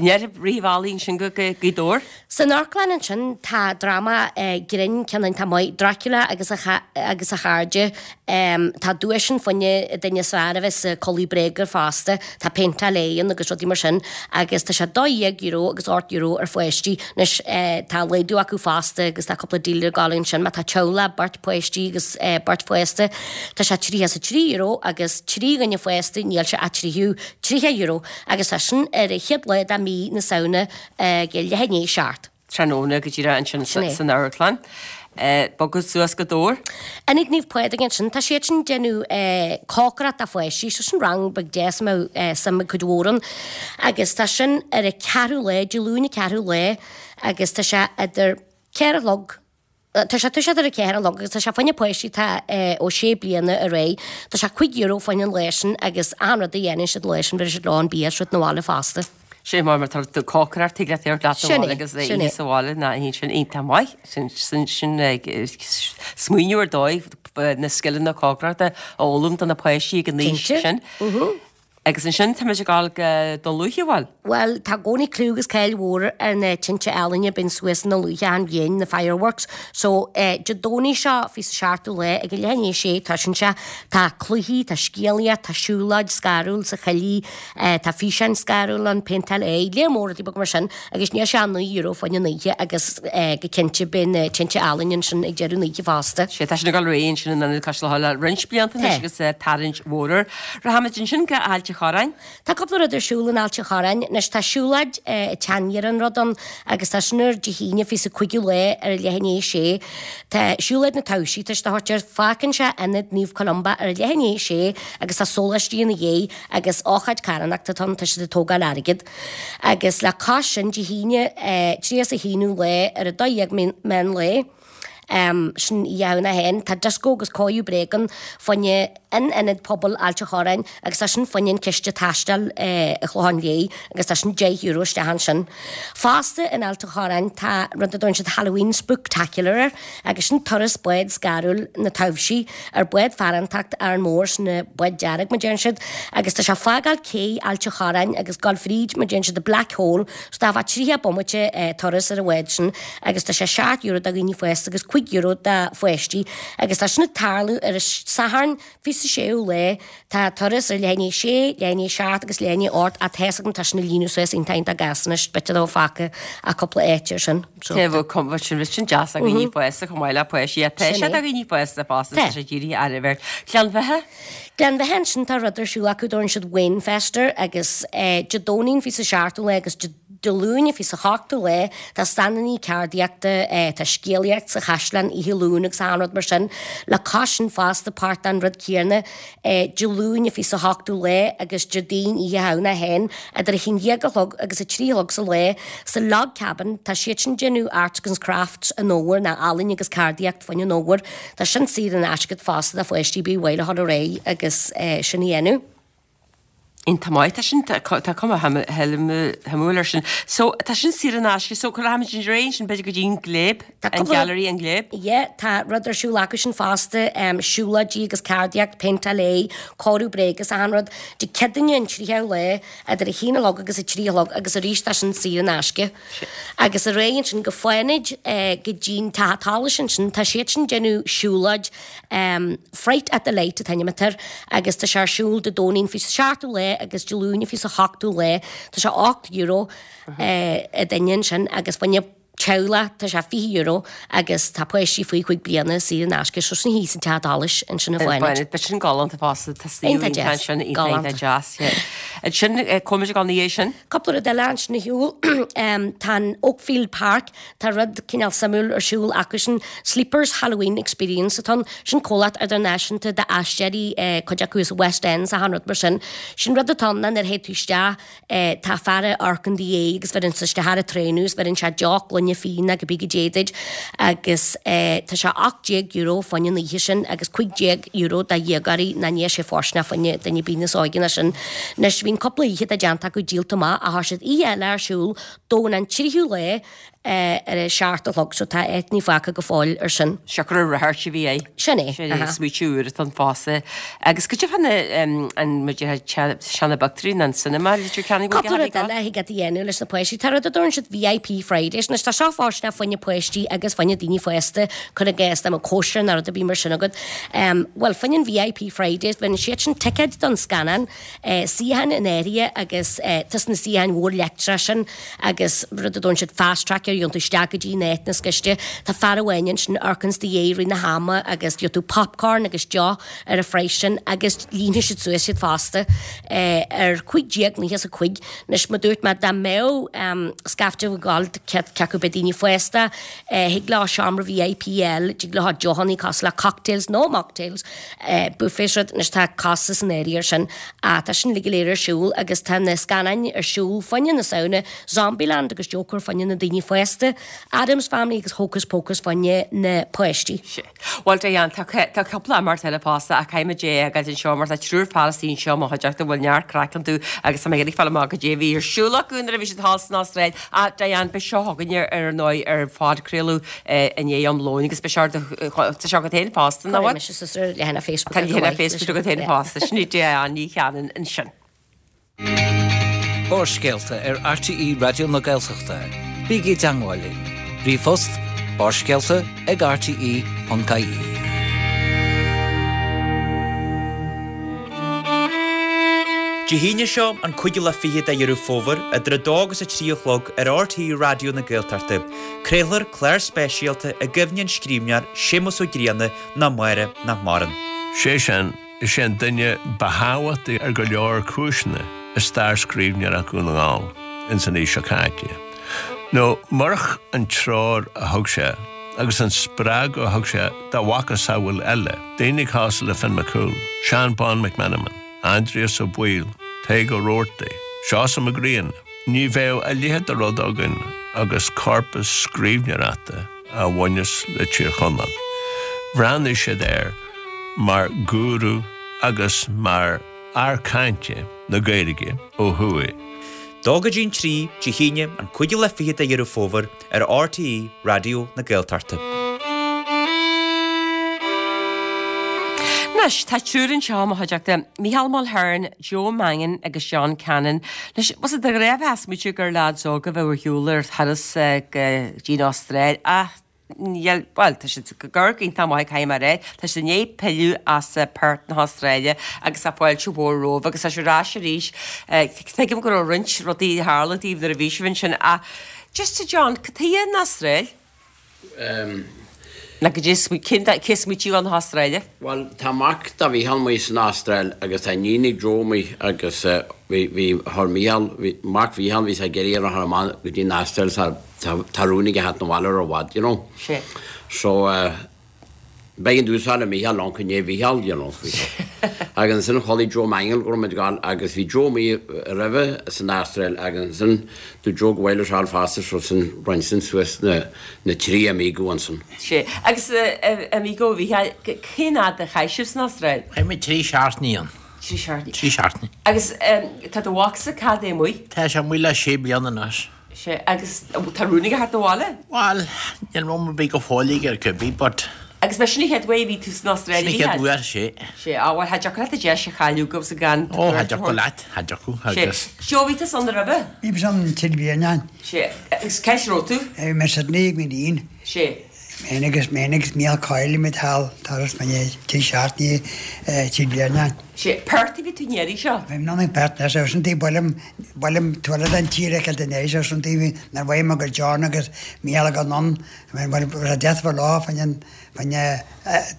Ar rith an bhealaigh ansin go Gaoth Dobhair. San amharclann ansin tá dráma grinn ceann iontach maith, Dracula agus a agus a chairde. Tá duais ann fá choinne an duine is fearr a bheas ag culaith bréige fosta. Tá péinteáil aghaidhe ann agus rudaí mar sin agus tá sé dó dhéag euro agus ocht euro ar pháistí. Anois tá laghdú acu fosta agus tá cúpla deal ag gabháil ansin má tá teaghlach, beirt páistí agus beirt fásta tá sé tríocha is a trí euro agus trí dhuine fásta níl sé ach tríocha tríocha euro agus tá sin ar an chéad lá de mí na Samhna ag leath i ndiaidh a seacht. tráthnóna go díreach ansin san amharclann. Bogadh suas go Dobhar. Ionad Naomh Pádraig ansin, tá siad sin ag déanamh cócaireacht do pháistí, so sin rang beag deas a mbeadh suim ag cuid mhór ann. Agus tá sin ar an ceathrú lá, Dé Luain an ceathrú lá agus tá sé idir ceithre a chlog, tá sé toiseacht ar a ceathair a chlog agus tá sé fá choinne páistí atá ó sé bliana ar aghaidh. Tá sé cúig euro fá choinne an lae sin agus achan rud a dhéanann siad an lae sin bhéarfaidh siad leo an bia is rud 'na bhaile fosta. Sin mar mar tá tú cócaireacht tig leat ar leat Sin é, agus é sin é. sa bhaile ná hín sin iontach maith sin sin sin smaoineamh ar dóigh na scileanna cócaireachta a fhoghlaim do na páistí ag an aois Cinnte. sin. Mhm. Agus ansin tá muid ag gabháil go Dún Lúiche, bhuel. Bhuel, tá i gcónaí clú agus cáil mhór ar na tinte ealaíne a bíonn suas i nDún Lúiche achan bhliain, na fireworks. So, Dé Domhnaigh seo, fiche is a seachtú lá, ag a leath i ndiaidh a sé, toisíonn sé. Tá cluichí, tá scéalaíocht, tá siúlóid scarúil sa choillidh, Tá físeáin scarúil ann, péinteáil aghaidhe, léar mór rudaí beaga mar sin agus níl sé ach naoi euro fá choinne an oíche agus go cinnte beidh na tinte ealaíne ansin ag deireadh na hoíche fosta. Sea, tá sin ag dul ar aghaidh ansin in Ionad Cois Locha le roinnt blianta anois agus tarraingt mhór air. Rachaimid ansin go Ailt an Chorráin. Tá cúpla rud ar siúl in Ailt an Chorráin. Anois tá siúlóid teanga an rud ann agus tá sin ar Dé hAoine fiche is a cúigiú lá ar a leath i ndiaidh a sé. Tá siúlóid na taibhsí, tá siad á thabhairt air, fágann sé Ionad Naomh Columba ar a leath i ndiaidh a sé agus tá sóláistí ina dhiaidh agus ócáid carthanachta atá ann, tá siad ag tógáil airgead. Agus le cois sin, Dé hAoine tríocha is a haonú lá ar a dó dhéag meán lae, Sin Oíche Shamhna féin. Tá dioscó agus cóiriú bréag ann fá choinne in Ionad Pobail Ailt an Chorráin agus tá sin fá choinne an Ciste Taistil i Chlochán Léith agus tá sin deich euro isteach ansin. Fosta in Ailt an Chorráin tá rud a dtugann siad Halloween Spooktacular air agus sin turas bád scarúil na taibhsí ar bád farantacht Árann Mór, sin an bád dearg mar deireann siad, agus tá sé ag fágáil cé Ailt an Chorráin agus gabháil fríd mar deireann siad the Black Hole so tá fá tríocha bomaite turas ar an bhád sin agus tá sé seacht euro do dhaoine fásta agus cúig euro do pháistí agus tá sin ag tarlú ar an Satharn fiche is a séú lá. Tá turas ar leath i ndiaidh a sé, leath i ndiaidh a seacht agus leath i ndiaidh a hocht ach tá's agam tá sin ag líonadh suas iontach iontach gasta anois, b'fhéidir dá fágtha ach cúpla áit ar sin. So. Tá bhfuil cuma sin sin deas do dhaoine fásta chomh maith le páistí. Tá sé do dhaoine fásta fosta tá sé dírithe ar an bheirt. Gleann Bheithe? Gleann Bheithe ansin tá rud ar siúl acu dtabharann siad Wainfest air agus Dé Domhnaigh an fiche is a seachtú lá agus Dé Dé Luain an fiche is a hochtú lá tá standannaí ceardaíochta, tá scéalaíocht sa chaisleán oíche Luain agus achan rud mar sin. Le cois sin fosta páirt den rud céanna Dé Luain an fiche is a hochtú lá agus Déardaoin Oíche Shamhna féin idir a haon déag a chlog agus a trí a chlog sa lá sa Log Cabin tá siad sin déanamh arts agus crafts an fhómhair ná ealaín agus ceardaíocht fá choinne an fhómhair. Tá sin saor in aisce fosta do pháistí ar bith ar mhaith leo a dhul ar aghaidh agus sin a dhéanamh. Iontach maith, tá sin, tá cuma shuimiúil air sin. So, tá sin saor in aisce, so rachaimid ar aghaidh ansin b'fhéidir go dtí an Gléib, an Gallery an Gléib. Yeah, tá rud ar siúl acu sin fosta, siúlóidí agus ceardaíocht, péinteáil aghaidhe, cóiriú bréige is achan rud. Dé Céadaoine an tríochadh lá, idir a haon a chlog agus a trí a chlog agus arís tá sin saor in aisce. Agus ar aghaidh ansin go Fánaid, go dtí'n Teach a' tSolais ansin, tá siad sin déanamh siúlóid, Fright at the Light an t-ainm atá air agus tá sé ar siúl Dé Domhnaigh an fiche is a seachtú lá agus Dé Luain an fiche is a hochtú lá. Tá sé ocht euro an duine ansin agus fá choinne teaghlach tá sé fiche euro agus tá páistí faoi chúig bliana saor in aisce so sin thíos an Teach Solais ansin i bhFánaid. Beidh sin galánta fosta, tá suíomh iontach ansin, iontach deas. Ansin, cá bhfuil muid ag dul ina dhiaidh sin? Cúpla rud eile ansin ar shiúl. Tá an Oakfield Park, tá rud cineál suimiúil ar siúl acu sin, Sleepers Halloween Experience atá ann. Sin comhlacht idirnáisiúnta d'aisteoirí, cuid acu as West End is achan rud mar sin. Sin rud atá ann ná nuair a théid tú isteach, tá fear ag amharc i do dhiaidh agus bheireann sé isteach ar an traein thú is bheireann sé deoch, gloine fíona cibé goidé duit agus tá sé ocht déag euro fá choinne an oíche sin agus cúig déag euro do dhéagóirí ná níl sé fóirsteanach fá choinne duine ar bith níos óige ná sin. Anois bhí an cúpla oíche atá déanta acu díolta amach ach tá siad oíche eile ar siúl Domhnach an tríú lá ar a seacht a chlog so tá áiteanna fágtha go fóill ar sin. Siocair an radharc a bhí air. Sin é. Sin é, smaoitiú úr atá ann fosta. Agus goidé fá na, an, muid ar seana-phictiúirí ná an cinema, Leitir Ceanainn, bhfuil Cúpla rud eile a thig leat a dhéanamh leis na páistí. Tá rud a dtabharann siad VIP Fridays. Anois tá seo fóirsteanach fá choinne páistí agus fá choinne daoine fásta, cuir i gcás dá mbeadh cóisir nó rud ar bith mar sin agat. Bhuel, fá choinne an VIP Fridays, bheireann siad sin ticéid don scannán, suíocháin in áirithe agus tá sna suíocháin mhór leictreach sin agus rud a dtabharann siad fast track air, gheobhann tú isteach go dtí an áit níos gaiste. Tá fear amháin ansin a amharcanns i do dhiaidh i rith na hama agus gheobhaidh tú popcorn agus deoch ar an phraghas sin agus líonfaidh siad suas iad fosta ar cúig déag nócha is a cúig. Anois, mar dúirt mé, dá mbeadh scaifte ag gabháil cé acu beidh daoine fásta, thig leo seomra VIP a fháil, dtig leo deochanna cosúil le cocktails nó mocktails, buffet rud, anois tá costas in áirithe air sin ach tá sin uilig go léir ar siúl agus tá na scannáin ar siúl fá choinne na Samhna, Zombieland agus Joker fá choinne na daoine fásta, Addams Family agus Hocus Pocus fá choinne na páistí. Bhuel, Diane, tá tá cúpla imeacht eile fosta ach caithfidh muid é a fhágáilt anseo mar tá triúr fear istigh anseo i mo chuideachta a bhfuil neart craic iontu agus tá mé ag iarraidh fáil amach goidé a bhí ar siúl acu nuair a bhí siad thall san Astráil. Ach Diane, beidh seo chugainn ar ndóigh ar phodchraoladh i ndiaidh am lóin agus beidh sé ar do tá sé agat féin fosta, nach bhfuil? Cuirfidh mise suas ar leathanach Facebook Tá leathanach Facebook agat féin fosta. Sin í Diane Ní Chanainn ansin. Barrscéalta ar RTÉ Raidió na Gaeltachta. Bígí i dteangmháil linn. Ríomhphost, Barrscéalta ag rte ponc ie. Dé hAoine seo, an cúigiú lá fichead de Dheireadh Fómhair, idir a dó agus a trí a chlog ar RTÉ Raidió na Gaeltachta, craolfar clár speisialta i gcuimhne an scríbhneoir Séamus Ó Grianna ná Máire nach maireann. Sé sin, is é an duine ba thábhachtaí ar go leor cúiseanna i stair scríbhneoireacht Dhún na nGall ins an aois seo caite. Nó murach an treoir a thug sé agus an spreagadh a thug sé dá mhacasamhail eile, daoine cosúil le Finn McCool, Seán Bán McMenamin, Aindrias Ó Baoill, Tadhg Ó Rabhartaigh, Seosamh Mac Grianna, ní bheadh a leithéid de rud againn agus corpas scríbhneoireachta a bhaineas le Tír Chonaill. Bhreathnaigh siad air mar gúrú agus mar fhear cainte na Gaeilge ó thuaidh. Dó go dtí'n trí, Dé hAoine, an cúigiú lá fichead de Dheireadh Fómhair, ar RTÉ Raidió na Gaeltachta. Anois, tá triúr anseo i mo chuideachta, Micheál Mulhern, Joe Mangan agus John Cannon. Anois, bhfuil a fhios agat de ghnáth bheifeá ag smaoitiú gur leaids óga a bheadh ar shiúl ar thuras go dtí an Astráil ach níl, bhuel, tá siad ag amharc iontach maith caithfidh mé a rá. Tá siad i ndiaidh pilleadh as Perth na hAstráile agus tá fáilte mhór romhaibh agus tá sibh ar ais arís. Tuigim go raibh roinnt rudaí a tharla daoibh nuair a bhí sibh ansin ach just a John, cad chuige an Astráil? Nó cad é, cén cé smaoitiú an hAstráile? Bhuel, tá mac do Mhícheál amuigh san Astráil agus tá iníon ag Joe amuigh agus bhí, bhí, chuir Mícheál, bhí, mac Mhícheál, bhí sé ag iarraidh a chur amach go dtí an Astráil tá, tá rún aige theacht 'na bhaile roimh i bhfad, you know. Sea. So, b'éigean domhsa a fháil le Mícheál ann chun é Mhícheál, you know. Agus ansin chuala Joe Mangan go raibh muid ag gabháil agus bhí Joe amuigh roimhe san Astráil agus ansin dúirt Joe go bhfaighidh leis fháil fosta so sin roinn sin suas na na trí amigo ansin. Sea. Agus amigo Mhícheáil, cén fhad a chaith sibh san Astráil? Chaith muid trí seachtainí ann. Trí seachtainí. Trí seachtainí. Agus tá do mhacsa cad é amuigh? Tá sé amuigh le sé bliana anois. Sea, agus tá rún aige theacht abhaile? Bhuel, níl rún ar bith go fóill aige ar cibé, but. Agus b'é sin an chéad uair a bhí tú san Astráil, Sin an chéad uair, sea. Sea, á bhuel, cha dtiocfadh leat an deis a chailleadh agus gan Ó, cha dtiocfadh leat, cha dtiocfadh, agus. Sea, Joe, bhí tusa ann roimhe? Bhí mise ann trí bliana. Sea, agus cá háit a raibh tú? Bhí mé i Sydney ag m'iníon. Sea. Mé agus mé agus Mícheál Coyle muid thall turas fá choinne trí seachtainí trí bliana. Sea, Perth a bhí tú an iarraidh seo? Bhí mé in Perth anois agus sin taobh buailim buailim tuaille den tír a fheiceáil den iris agus sin taobh nuair a bhfaighim agus John agus Mícheál ag anonn bhuel bhí death for law fá choinne fá choinne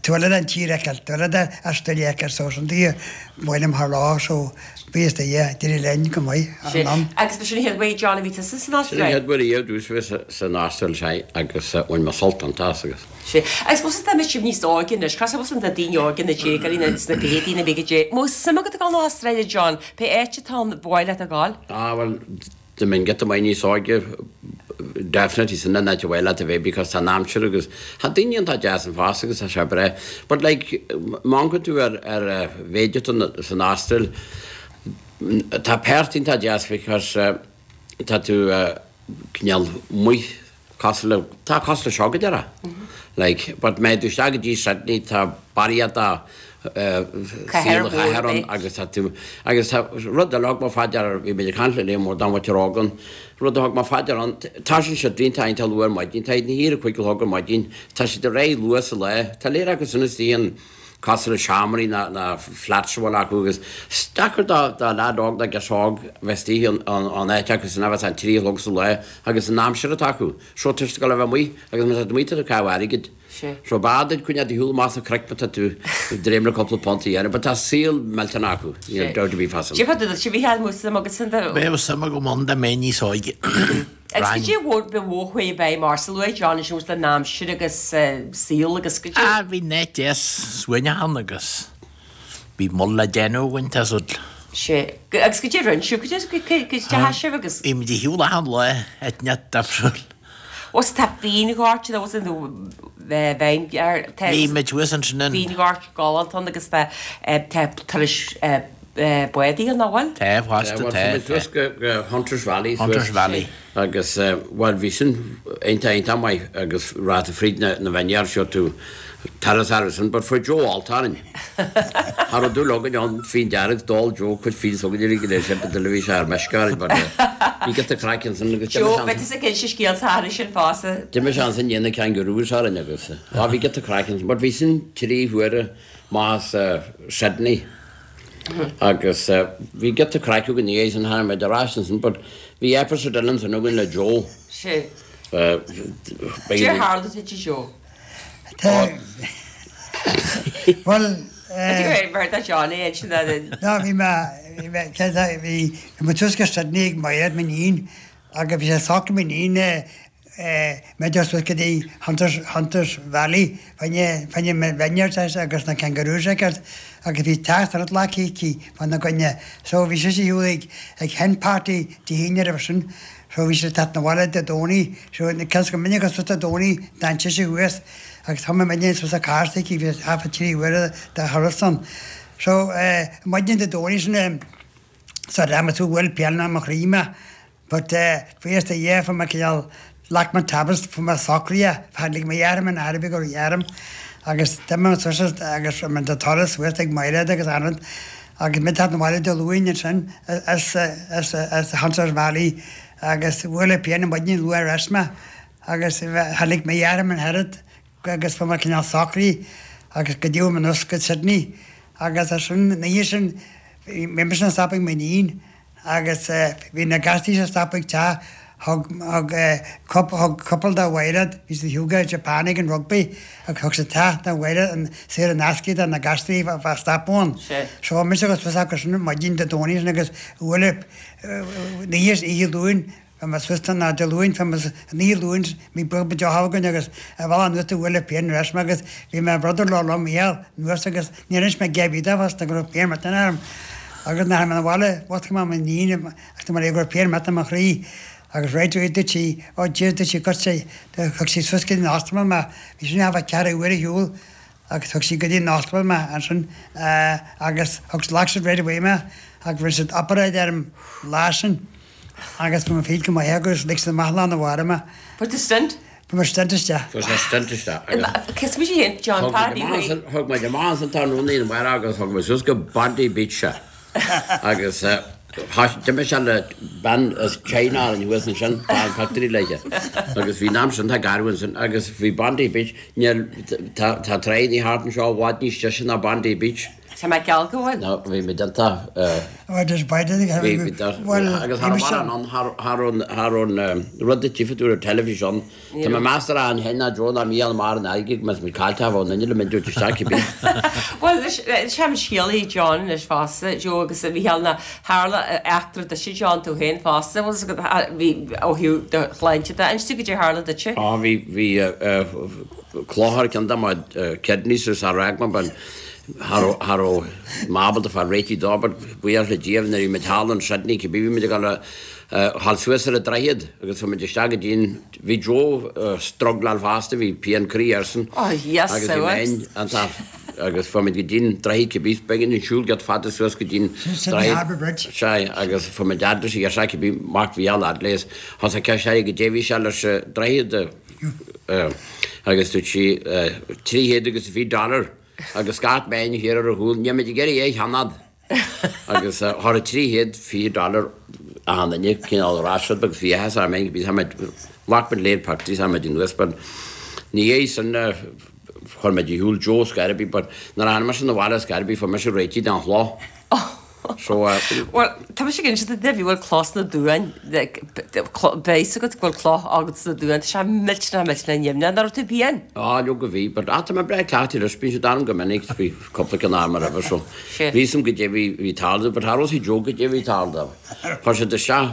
tuaille den tír a fheiceáil tuaille de Australia a fheiceáil so sin taobh buailim thar lá so bhí is taobh d'éirigh linn go maith anonn. Agus ba sin an chéad uair John a bhí tusa san Sin an Astráil? chéad uair riamh domhsa bheith san Astráil sea agus bhain mé sult iontach as agus. Sea. Agus bhfuil tá sibh níos óige anois, cosúil leis na daoine óga na déagóirí na sna fichidí na bhfichidí. An mbeadh suim agat a ghabháil na hAstráile John, pé áit atá ann, ba mhaith leat a ghabháil? Ah bhuel, dá mbeinn giota maith níos óige, definitely sin an áit a mhaith leat a bheith because tá an aimsir agus tá daoine iontach deas ann fosta agus tá sé breá. But like, má amharcann tú ar ar mhéid atá san Astráil, tá Perth iontach deas because tá tú cineál amuigh cosúil le, tá cosúil le seo go deireadh. Like, but má théann tú isteach go dtí Sydney tá barraíocht de saol na cathair ann agus tá tú, agus tá rud eile a thug mé fá deara, bhí muid ag caint le Liam Ó Dá mhuintir óg ann, rud a thug mé fá deara ann, toisíonn siad iontach iontach luath ar maidin, tá siad ina shuí ar a cúig a chlog ar maidin, tá siad ar aghaidh luath sa lá, tá léir acu sin istigh in, cosúil le seomraí ná na flats a bhfuil acu agus is deacair do do leaid óg nó girseach óg bheith istigh in in áit acu sin a bheas an trí a chlog sa lá agus an aimsir atá acu so tá siad ag dul a bheith amuigh agus má tá tú amuigh tá tú ag caitheamh airgid so b'fhearr duit coinneáil do shiúl amach sa chraic má tá tú ag dréim le cúpla punt a dhéanamh but tá saol millteanach acu níl dabht ar bith fá sin. Cad é fá dtaobh duit a Mhícheáil an mbeadh suim agatsa ann? Bheadh suim agam ann dá mbeinn níos óige. Agus cad é a ba mhó a chuaigh i bhfeidhm ortsa luaigh John ansin an aimsir agus saol agus cad é. Ah bhí an áit deas suaimhneach ann agus bhí mol le déanamh againn tá súil. Sea. Agus cad é a rinne sibh, cad é cad é a chaith sibh agus. Bhí muid ar shiúl achan lá áit inteacht difriúil. Ó 's tá fíonghort nó nó bheinn tá. Bhí muid thuas ansin in. Fíonghort galánta ann agus tá tá turais bádaí ann, nach bhfuil? Tá, fosta, tá, tá. Bhí muid thuas go Hunters Valley. Hunters Valley. Agus, bhuel, bhí sin iontach, iontach maith agus raibh tú fríd na na vineyards seo tú turas thar sin, but fuair Joe alt orainn. Cha raibh dúil againn ann fíon dearg, d'ól Joe cuid fíon s'againn uilig go léir sin, but bhí sé ar meisce orainn, but bhí giota craic ansin agus d'imigh Joe, beidh tusa ag inse scéalta thairis sin fosta. D'imigh sé ansin i ndiaidh na kangaroos orainn agus, á bhí giota craic ansin, but bhí sin trí huaire amach as Sydney. Agus bhí giota craic againn ina dhiaidh sin, tháinig muid ar ais ansin, but bhí episode eile ansin againn le Joe. Sea. Cad é a tharla duit a Joe? Bhuel, Mar tá John é ansin No, bhí mé, bhí mé, bhí mé suas go Sydney ag Mairéad, m'iníon, agus bhí sé socraithe m'iníon mé suas go dtí Hunters, Hunters Valley, fá choinne, fá choinne vineyards agus na kangaroos a fheiceáil agus bhí teachtaireacht glactha aici fána gcoinne. So bhí sise ar shiúl ag, ag hen party Dé hAoine roimhe sin. So bhí sé teacht 'na bhaile Dé Domhnaigh, so cos go minic suas Dé Domhnaigh d'fhan sise thuas agus thug mé muidne suas sa charr s'aici, bhí half a trí uaire de thuras ann. So maidin Dé Domhnaigh sin so raibh mé tú bhfuil pian i mo chroí mé but buíochas do Dhia fuair mé cineál ghlac mé tablets fuair mé socraithe, tháinig mo dheartháir in airbe go raibh orm agus d'imigh mé suas agus raibh mé de turas suas ag Mairéad agus Anand agus mé teacht 'na bhaile Dé Luain ansin as as as Hunters Valley agus bhuail an pian an maidin luath ar ais mé agus tháinig mo dheartháir in oiread agus fuair mé cineál socraithe agus go dtí mé anuas go Sydney agus ansin an oíche sin bhí mise ag stopadh ag m'iníon agus bhí na gasties ag stopadh ag teach thug thug thug cúpla de Mhairéad bhí siad go Japan ag an rugby agus thug siad teach do Mhairéad an saor in aisce do na gasties a bheith stopadh ann. So mise agus suas acu sin maidin Dé Domhnaigh sin agus bhuail an oíche oíche Luain bhí mé suas ná Dé Luain bhí mé an oíche Luain bhí beag deoch againn agus ar bhealach anuas do bhuail an pian ar ais mé agus bhí mo brother-in-law liom Mícheál anuas agus níor inis mé cé bith dó fosta go raibh pian millteanach orm agus nuair a tháinig mé 'na bhaile mhuscail mé m'iníon agus dúirt mé léi go raibh pian millteanach i mo chroí agus right away dúirt sí oh Dia dúirt sí go sé thug sí suas go dtí an ospidéal mé bhí sin a bheith ceathrú uair ar shiúl agus thug sí go dtí an ospidéal mé ansin agus thug ghlac siad right away mé agus rinne siad operáid orm an lá sin agus bhí mé féin go maith agus lig siad amach lá arna mhárach mé. Fuair tú stent? Fuair mé stent isteach. Fuair sé stent isteach agus. Cos mise féin John Paddy Thug muid amach ansan tráthnóna an mhárach agus thug muid suas go Bondi Beach sé agus d'imigh sé le bean as China an thuas ansin, tá an pictiúr léithe agus bhí an am sin tá garbh ansin agus bhí Bondi Beach, níl, tá tá tráigh thart anseo i bhfad níos deise ná Bondi Beach. Tá mé geall go bhfuil. No, bhí muid iontach, bhí, bhí, agus thar an ann, thar an, thar an rud a tchífidh tú ar an teilifís ann, Tá mé measartha an shin ná Joe ná Mícheál mar an airgid más muid caillte bheadh an duine le muid dúirt isteach cibé. Bhuel anois sé an scéal é John anois fosta Joe agus Mícheál ná tharla eachtra duitse John tú féin fosta bhfuil fhios agat bhí ó thaobh do shláinte de inis dúinn goidé a tharla duitse. Á bhí bhí cloch ar ceann de mo kidneys is ar fhág mé but cha raibh cha raibh mé ábalta fáil réitithe dó but buíochas le Dia nuair a bhí muid thall in Sydney cibé bhí muid ag dul a ghabháil suas ar an droichead agus chuaigh muid isteach go dtí an, bhí Joe ag struggláil fosta, bhí pian croí airsean Oh yes agus bhí mé iontach agus fuair muid go dtí an droichead cibé, b'éigean dúinn siúl giota fada suas go dtí an Sydney droichead. Harbour Bridge. Sea, agus fuair muid fhad leis an ghirseach cibé, mac Mhícheáil fhad léi, thosaigh ceist uirthi goidé bhí sé leis an droichead agus dúirt sí trí chéad agus fiche dollar agus scairt mé thiar ar a chúl, níl muid ag iarraidh é a cheannach. Agus tharla trí chéad fiche dollar achan duine cineál ar ais agus bhí áthas orm féin bhí muid ghlac muid léir pictiúirí tá muid anuas but ina dhiaidh sin chuir muid ar shiúl Joe scor ar bith but nuair a tháinig mise 'na bhaile scor ar bith fuair mise réitithe den chloch so Bhuel tá mise ag inse duit bhí bhfuil cloch sna duáin beidh fhios agat go bhfuil cloch agat sna duáin tá sé millteanach millteanach nimhneach nach raibh tú pian? Á leoga bhí but ah tá mé breá cleachtaithe leis bíonn siad orm go minic bhí cúpla ceann orm roimhe so Bhí fhios a'm goidé bhí bhí ag tarlú but cha raibh fhios ag Joe goidé bhí ag tarlú. Chuir siad isteach,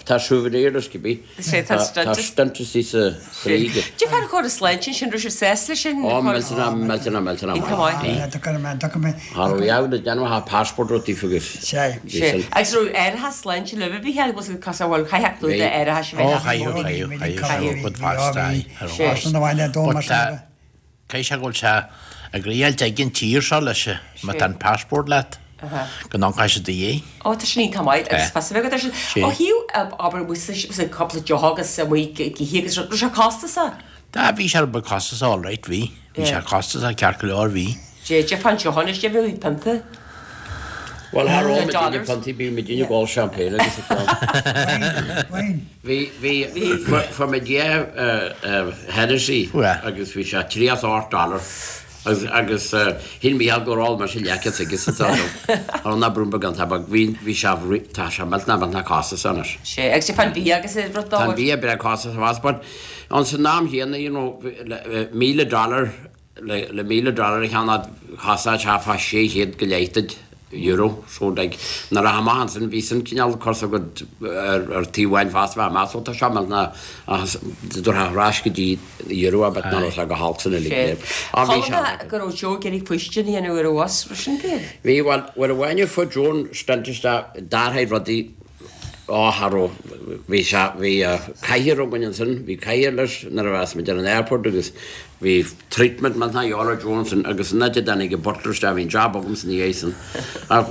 tá souvenir leis cibé. Sé tá Tá stent stent istigh sa chroí aige. Cad é fán chóras sláinte ansin, raibh sibh sásta leis sin? Ó, millteanach, millteanach, millteanach Iontach maith. maith. Cha raibh fhios le déanamh ach passport rud taobh agus Sé. bhí Sé. sin. Agus raibh árachas sláinte libh a bhí bhfuil fhios agat cos bhuel chaithfeadh tú Bhí. d'árachas a Ó, bheith chaithfeadh, chaithfeadh, chaithfeadh sé rud fasta, aye, ar Sé. But, uh, Caithfidh sé go bhfuil sé ag riáilt ag an tír seo leis má tá an passport leat go n-amharcfaidh siad i do dhiaidh. Ó tá sin iontach maith agus fios a bheith agat air sin. Ó thaobh abair amuigh sa cúpla deoch agus amuigh ag ithe agus raibh sé costasach? Dá bhí sé rud beag costasach alright bhí. Bhí sé costasach ceart go leor bhí. Dé dé fán deoch anois dé bhí pionta. Bhuel thar am a daoine piontaí bíonn muid ag ól champagne agus a ceann. Bhí bhí fuair muid dhá Hennessy agus bhí sé tríocha is a hocht dollar agus agus shíl Mícheál gur ól mise leathcheann agus sa dá Thar an brú beag an tabac bhí bhí sé tá sé millteanach millteanach costasach anois. Sé agus sé fán bia agus rud Tá an bia breá costasach fós but ansan am chéanna you know míle dollar Le míle dollar a cheannach chosnódh sé fá sé chéad go leith duit euro so like nuair a amach ansin bhí sin cineál curtha agat ar taobh amháin fosta bheith amach so tá seo millteanach ach dtabharfá ar ais go dtí euro a but ná raibh sé go holc san uilig léir. Á bhí Chuala sé. mé go raibh Joe ag iarraidh faoistin a dhéanamh ar an bhus, raibh sin fíor? Bhí, bhuel, uair amháin a fuair Joe an stent isteach d'athraigh rudaí Á, cha raibh. Bhí sé, bhí cathaoir againn ansin, bhí cathaoir leis nuair a bheas muid ar an airport agus bhí treatment millteanach a dhíobháil ar Joe ansin agus an áit a dtáinig an butler isteach, bhí an job agamsa ina dhiaidh sin. Ach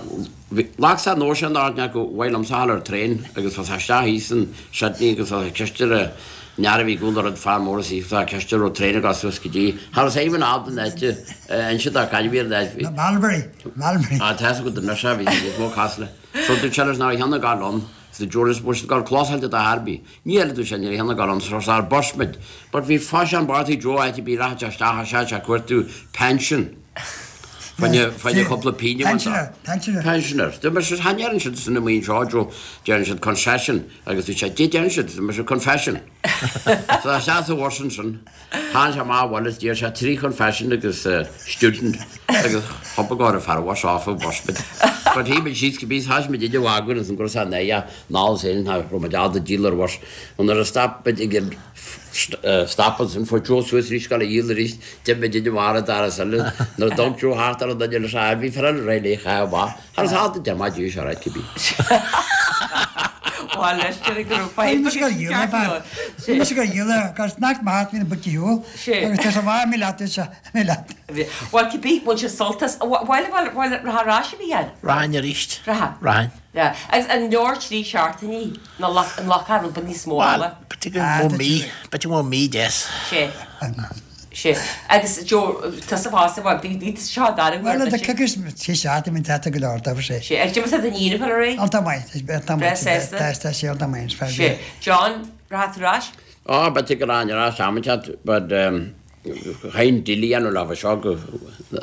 bhí, ghlac sé nós an áit go mhaith liomsa a ghabháil ar traein agus bheas sé isteach thíos in Sydney agus bheas sé ceist ar an fhear a bhí ag gabháil ar an fear mór is bheas sé ceist ar raibh traein ag dul suas go dtí, cha raibh sé even ábalta an áit a inse dá caid a bhí ar an áit. Malbury, Malbury. Á, tá a fhios agat anois é, bhí níos mó cás le. So dúirt sé leis nach raibh aon ghá ann, so dúirt leis bhfuil siad ag gabháil closáilte do Herbie. Ní eile dúirt sé ní raibh aon ghá ann, so ar bus muid. But bhí faisean Barty Joe áit ar bith rachadh sé isteach a sé sé cuartú pension. Fáinne fáinne cúpla pingin a bhaint Pensioner, pensioner. Pensioner. Dúirt mise chan ndeireann siad san amuigh anseo Joe, deireann siad concession agus dúirt sé dé deireann siad, dúirt mise confession. So isteach sa bhus ansin. Tháinig sé amach abhaile is d'iarr sé trí confession agus student agus thug go raibh fear a bhus off an bus muid. But shuigh muid síos cibé thoisigh muid idir mhagadh agus an go raibh sé in aghaidh an ól féin ná raibh muid ábalta díol ar bhus. Nuair a stop muid ag an stop ansin fuair Joe suas arís ag gabháil a dhíol arís d'imigh muid idir mhara doras eile nuair a d'fhág Joe thart ar an duine leis an bhí fear eile réidh léi chaith amach. Thar is ábalta deich maith díobh seo ráit cibé. Bhuel, leis sin go raibh fadhb Bhí mise ag dhíol ar feadh. Bhí mise ag dhíol agus nach maith bhí na buicí shiúl agus tá sé maith mí leat is mí leat. Bhuel, cibé, bhain sé sult as. Bhuel, bhuel, bhuel, rachaidh ar ais a Mhícheáil? Rachainn arís. Rachaidh. Rachainn. Yeah. Agus an leor trí seachtainí nó an nglacfá rud beag níos mó Bhuel, ama? b'fhéidir go mbeadh mí, b'fhéidir go mbeadh mí deas. Sé. Sé. Agus Joe, tusa fosta, bhuel, bhí, bhí tusa seo dara huair Bhuel, duit. tá coicís, trí seachtaine, bhí tata go leor, dá sé. Sé. Agus d'imigh tú don Fhíona ar aghaidh? Iontach maith, iontach Breá maith, sásta? tá, tá sé iontach maith, is fearr Sé. bia. John, rachaidh tú ar ais? Á, b'fhéidir go rachainn ar ais am inteacht, but um, chaithfinn deal a dhéanamh leofa seo go,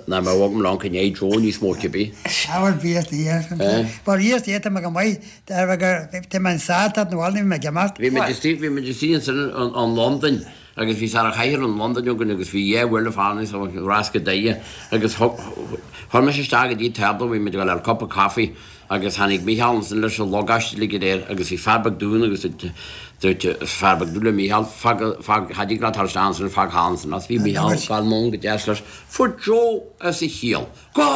nach mbeadh agam long i ndiaidh Joe níos mó cibé. Á, bhuel, bhí fhios di, bhuel, bhí fhios di, tá mé go maith, tá mé go, tá mé an sásta, nó bhuel, ní bhí mé ag imeacht. Bhí muid istigh, bhí muid istigh ansin in, in Londain Agus bhí sar a chathaoir in Londain againn agus bhí dhá bhuille fána sa rás go Doire agus chuir mise isteach go dtí tábla, bhí muid ag dul ar cup of coffee agus tháinig Mícheál ansin leis an lugáiste uilig go léir agus bhí fear beag dúinn agus dúirt fear beag dúinn le Mícheál, fág, fág, cha dtig leat dul isteach ansin, fág thall ansin as. Bhí Mícheál ag dul anonn go deas leis. Fuair Joe as a chiall. Go!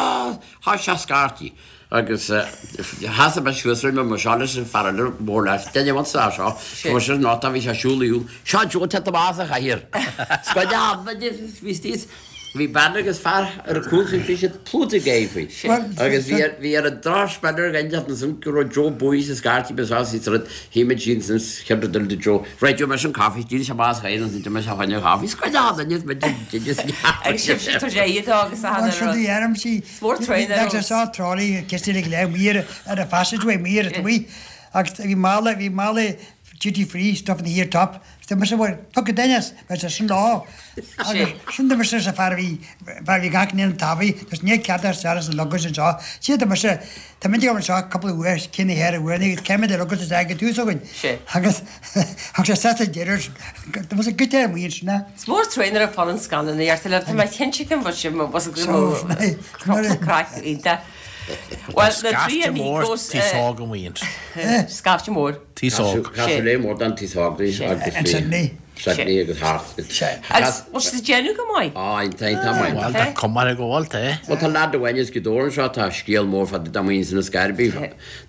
Thosaigh sé ag scairtigh. Agus sheasaigh mé suas roimhe mar seo leis an fear eile mór leis, duine amháin sa seo, fuair sé an áit a bhí sé ag siúl ar shiúl, seo Joe ag titim as a chathaoir. Scoid a handa bhí thíos, bhí bean agus fear ar an chúl bhí siad plúchta ag gáire faoi. Agus bhí ar bhí ar an drochspeil ar an ansin go raibh Joe buí sa scairtigh bhí seo sa rud, shuigh muid síos ansin chéad rud eile do Joe, right Joe mise an coffee, d'éirigh sé amach as a chathaoir ansin d'imigh sé chuin an coffee, scoid a handa Agus sibhse tar éis dó agus a handa Bhuel, siúd í sí Mór tréan ar Bheadh sé seo trolley cistí le gléim mhír ar a passageway mír at amuigh agus bhí mála bhí mála duty free stuff in the here top Is mise bhuel fuck it Dennis bheadh sé sin lá agus sin do mise sa fear a bhí fear a bhí gach ní an taobh agus ní ceart ar sear as an luggage anseo siad do mise tá muid ag anseo cúpla uair cén na hair uair agus céimid ar luggage is ag tús againn agus thug sé set a deireadh do mise goit ar amuigh ansin é. Is mór tréan ar fud an scannán a dheartha libh, tá mé cinnte go bhfuil sibh mar bhus go mbeadh craic iontach. Bhuel, na trí Scaifte mór amigos, taos óg amuigh ansin. Scaifte mór. Taos óg. Casadh mór den taos óg agus An Sydney. Sydney agus Hart. Agus bhfuil siad ag déanamh go maith? Á, tá tá maith. Bhuel, tá cuma air go bhfuil, tá. Bhuel, tá leaid amháin as Gaoth Dobhair anseo, tá scéal mór fá dtaobh amuigh ansin i Scairbí.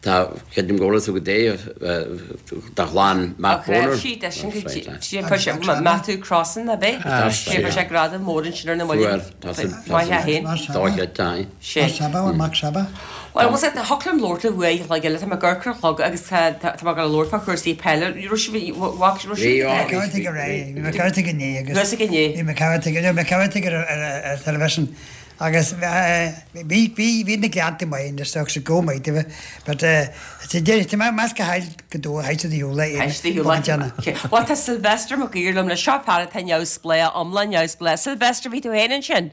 Tá, creidim go bhfuil fhios agat é, dá chlann Matt Ach raibh Boner. siad é sin go dtí, fuair sé, Matthew Crossan, ab é? Sé fuair sé gradam mór ansin ar na Fuair, maidin. tá san, tá Maith san, é féin. dóchreidte, aye. Sé. Mac Saba, Mac Saba. Bhuel, bhfuil sé, thiocfadh liom labhairt libh uair a chloig eile, tá mé ag amharc ar an chlog agus tá, tá mé ag dul a labhairt fá chúrsaí peile. Raibh sibh, bhfaca, raibh Bhí, sibh á, ag bhí, Bhí bhí, bhí mé ceart ag inné agus Bhí ag inné. bhí mé ceart ag, bhí mé ceart ag ar ar ar television agus bhí bhí bhí na Gleannta maith anois ach sa go maith daoibh but sa deireadh tá mé measctha thaill go dó thaill sa shiúl é Thaill sa shiúl. Bhuel tá Sylvester Mac Uidhir liom le seo fear atá neamhspleách iomlán neamhspleách. Sylvester bhí tú féin ansin?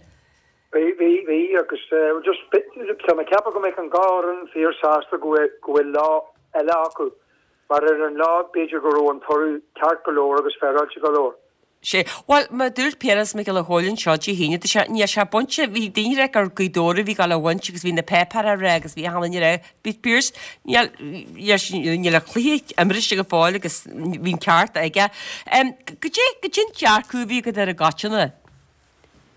Bhí bhí bhí agus just tá mé ag ceapadh go mbeadh an dhá fhoireann fíor sásta go bhfuil go bhfuil lá eile acu mar ar an lá b'fhéidir go raibh an toradh ceart go leor agus féaráilte go leor. Sé. Bhuel, mar a dúirt Piaras Mac Giolla Chóill anseo Dé hAoine, tá sé, níl sé bainte, bhí daoine ag rá gur Gaoth Dobhair a bhí ag gabháil a bhaint agus bhí na páipéir á rá agus bhí achan duine ag rá, bhí Piaras, níl, níl an cluiche imrithe go fóill agus bhí an ceart aige. Goidé, goidé an dearcadh a bhí agat ar an gcoitinne?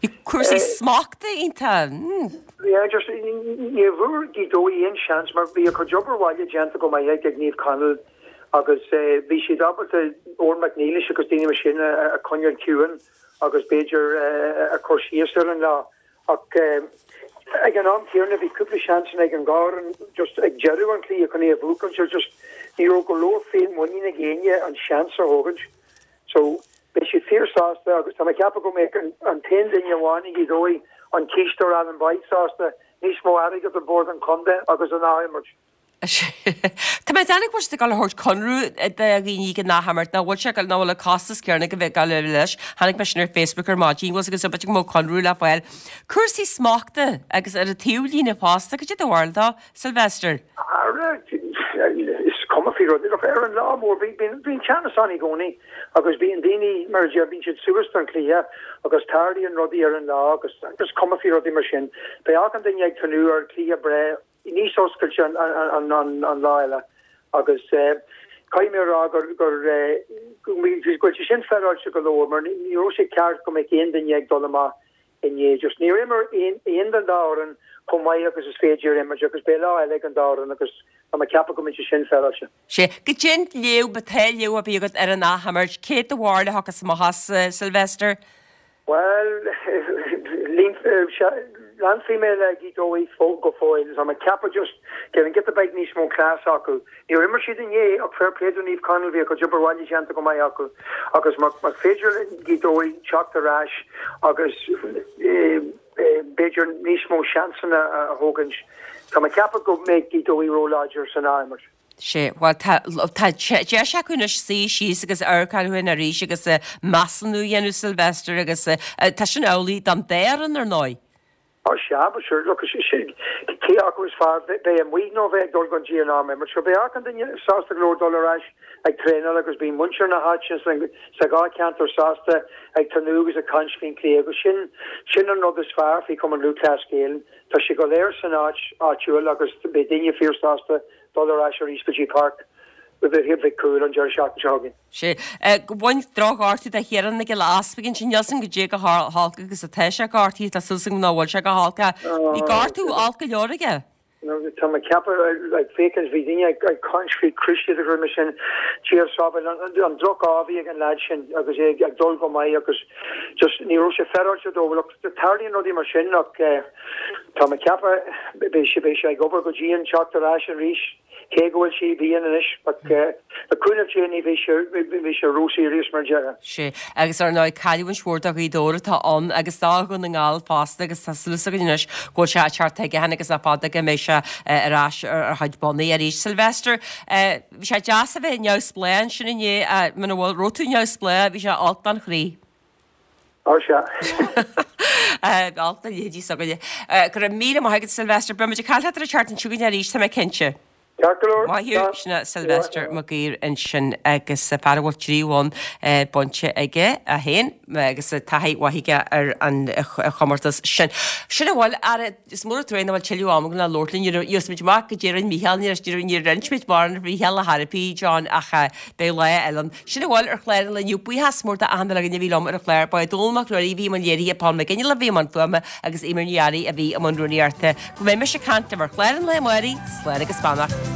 Bhí cúrsaí smachta iontach, mm. Yeah, just, ní bhfuair Gaoth Dobhair aon seans mar bhí a cuid obair bhaile déanta go maith ag Naomh Conaill agus bhí siad ábalta Eoin Mac Niallais agus daoine mar sin a choinneáil ciúin agus b'fhéidir a chur síos ar an lá. Ach ag an am céanna bhí cúpla seansanna ag an dhá fhoireann just ag deireadh an chluiche chun é a bhuachan so just ní raibh go leor féinmhuinín ag éinne an seans a thógaint. So beidh siad fíor sásta agus tá mé ag ceapadh go mbeidh an t-aon duine amháin i nGaoth Dobhair, an cisteoir Alan Boyd sásta níos mó airgead do bhord an chontae agus an athimirt. Tá mé ag déanamh go bhfuil siad ag dul a thabhairt conradh do dhaoine ag an athimirt, nach bhfuil sé ag dul, nach bhfuil an costas céanna ag bheith ag dul leis. Chonaic mé sin ar Facebook ar maidin, bhfuil 's agat, b'fhéidir go mbeadh conradh le fáil. Cúrsaí smachta agus ar an taobhlíne fosta, cad é do bharúil dó, Sylvester? Ara, is cuma faoi rudaí. Look, ar an lá mór, bíonn teannas ann i gcónaí agus bíonn daoine, mar a deir, bíonn siad suas don chluiche agus tarlaíonn rudaí ar an lá agus is cuma faoi rudaí mar sin. Beidh achan duine ag tnúth ar chluiche breá níos oscailte an lá eile agus caithfidh mé a rá gur go bhfuil sé sin féaráilte go leor mar ní raibh sé ceart go mbeadh aon duine ag dul amach inné. Just níor imir aon den dá fhoireann chomh maith agus is féidir imirt agus beidh lá eile ag an dá fhoireann agus tá mé ag ceapadh go mbeidh sé sin féaráilte. Sea, goidé an léamh, má tá léamh ar bith agat ar an athimirt, cé do bharúil a thiocfas amach as, Sylvester? Bhuel, leanfaidh mé le Gaoth Dobhair go fóill. Tá mé ag ceapadh just go bhfuil giota beag níos mó cleas acu. Níor imir siad inné ach fair play do Naomh Conaill, bhí a gcuid obair bhaile déanta go maith acu agus má féidir le Gaoth Dobhair teacht ar ais agus b'fhéidir níos mó seansanna a thógaint, tá mé ag ceapadh go mbeidh Gaoth Dobhair ró-láidir san athimirt. Sea, bhuel, tá, tá deis acu anois suí síos agus amharc orthu féin arís agus measúnú a dhéanamh, Sylvester, agus tá sin amhlaidh don dá fhoireann, ar ndóigh. Á sea, but sure, look, cé acu is fearr, bheith amuigh nó bheith ag dul go dtí an athimirt. So beidh achan duine sásta go leor dul ar ais ag traenáil agus bíonn muintir na háite sa dhá cheantar sásta ag tnúth agus ag caint faoin chluiche agus sin, sin an rud is fearr faoi Chumann Lúthchleas Gael. Tá sé go léir san áit áitiúil agus beidh daoine fíor-sásta dul ar ais arís go dtí Páirc Mhic Cumhaill an deireadh seachtaine seo chugainn. Sea. Bhain drochghortú do Chiarán Mac Giolla Easpaig ansin. Níl 's agam goidé chomh holc agus atá sé gortaithe. Tá súil agam nach bhfuil sé go holc. Bhí gortú olc go leor aige. Tá mé ag ceapadh, ag féachaint, bhí daoine ag caint faoi cruciate agus rudaí mar sin. Dia sábháil, an droch-ádh a bhí ag an leaid sin agus é ag dul go maith agus just ní raibh sé féaráilte dó. Look, tarlaíonn rudaí mar sin ach tá mé ag ceapadh beidh sé beidh sé ag obair go dian teacht ar ais arís cé go bhfuil sé i bpian anois ach le cúnamh Dé ní bheidh sé bheidh sé ró-serious mar a déarfá. Sea, agus ar ndóigh cailliúint mhór do Ghaoth Dobhair atá ann agus do Dhún na nGall fosta agus tá súil againn anois go bhfuil sé ag teacht chuige féin agus nach fada go mbeidh sé ar ais ar a chuid bonnaí arís. Sylvester, bhí sé deas a bheith neamhspleách ansin inné, muna bhfuil, raibh tú neamhspleách, bhí sé olc don chroí. Ó sea. Olc do leithéidí s'againne. Go raibh míle maith agat Sylvester. Beidh muid ag caint leat ar an tseachtain seo chugainn arís, tá mé cinnte. Ceart go leor. Maith thú. Sin é Sylvester Mac Uidhir ansin agus fear a bhfuil trí bhonn bainte aige é féin agus taithí mhaith aige ar an chomórtas sin. Sin a bhfuil. Ara, is mór an trua nach bhfuil tuilleadh ama againn le labhairt linn. Gheobhaidh muid amach goidé a rinne Mícheál. Níor inis muid mórán ar Mhícheál ar chor ar bith, John, ach beidh lá eile ann. Sin a bhfuil ar chlár an lae inniu. Buíochas mór d'achan duine againn a bhí liom ar an chlár. Ba é Dónall Mac Ruairí a bhí i mbun léirithe, Paul McGinley a bhí i mbun fuaime agus Eimear Ní Fhearraigh a bhí i mbun rúnaíochta. Go mbeidh mise ag caint libh ar chlár an lae amárach, slán agus beannacht.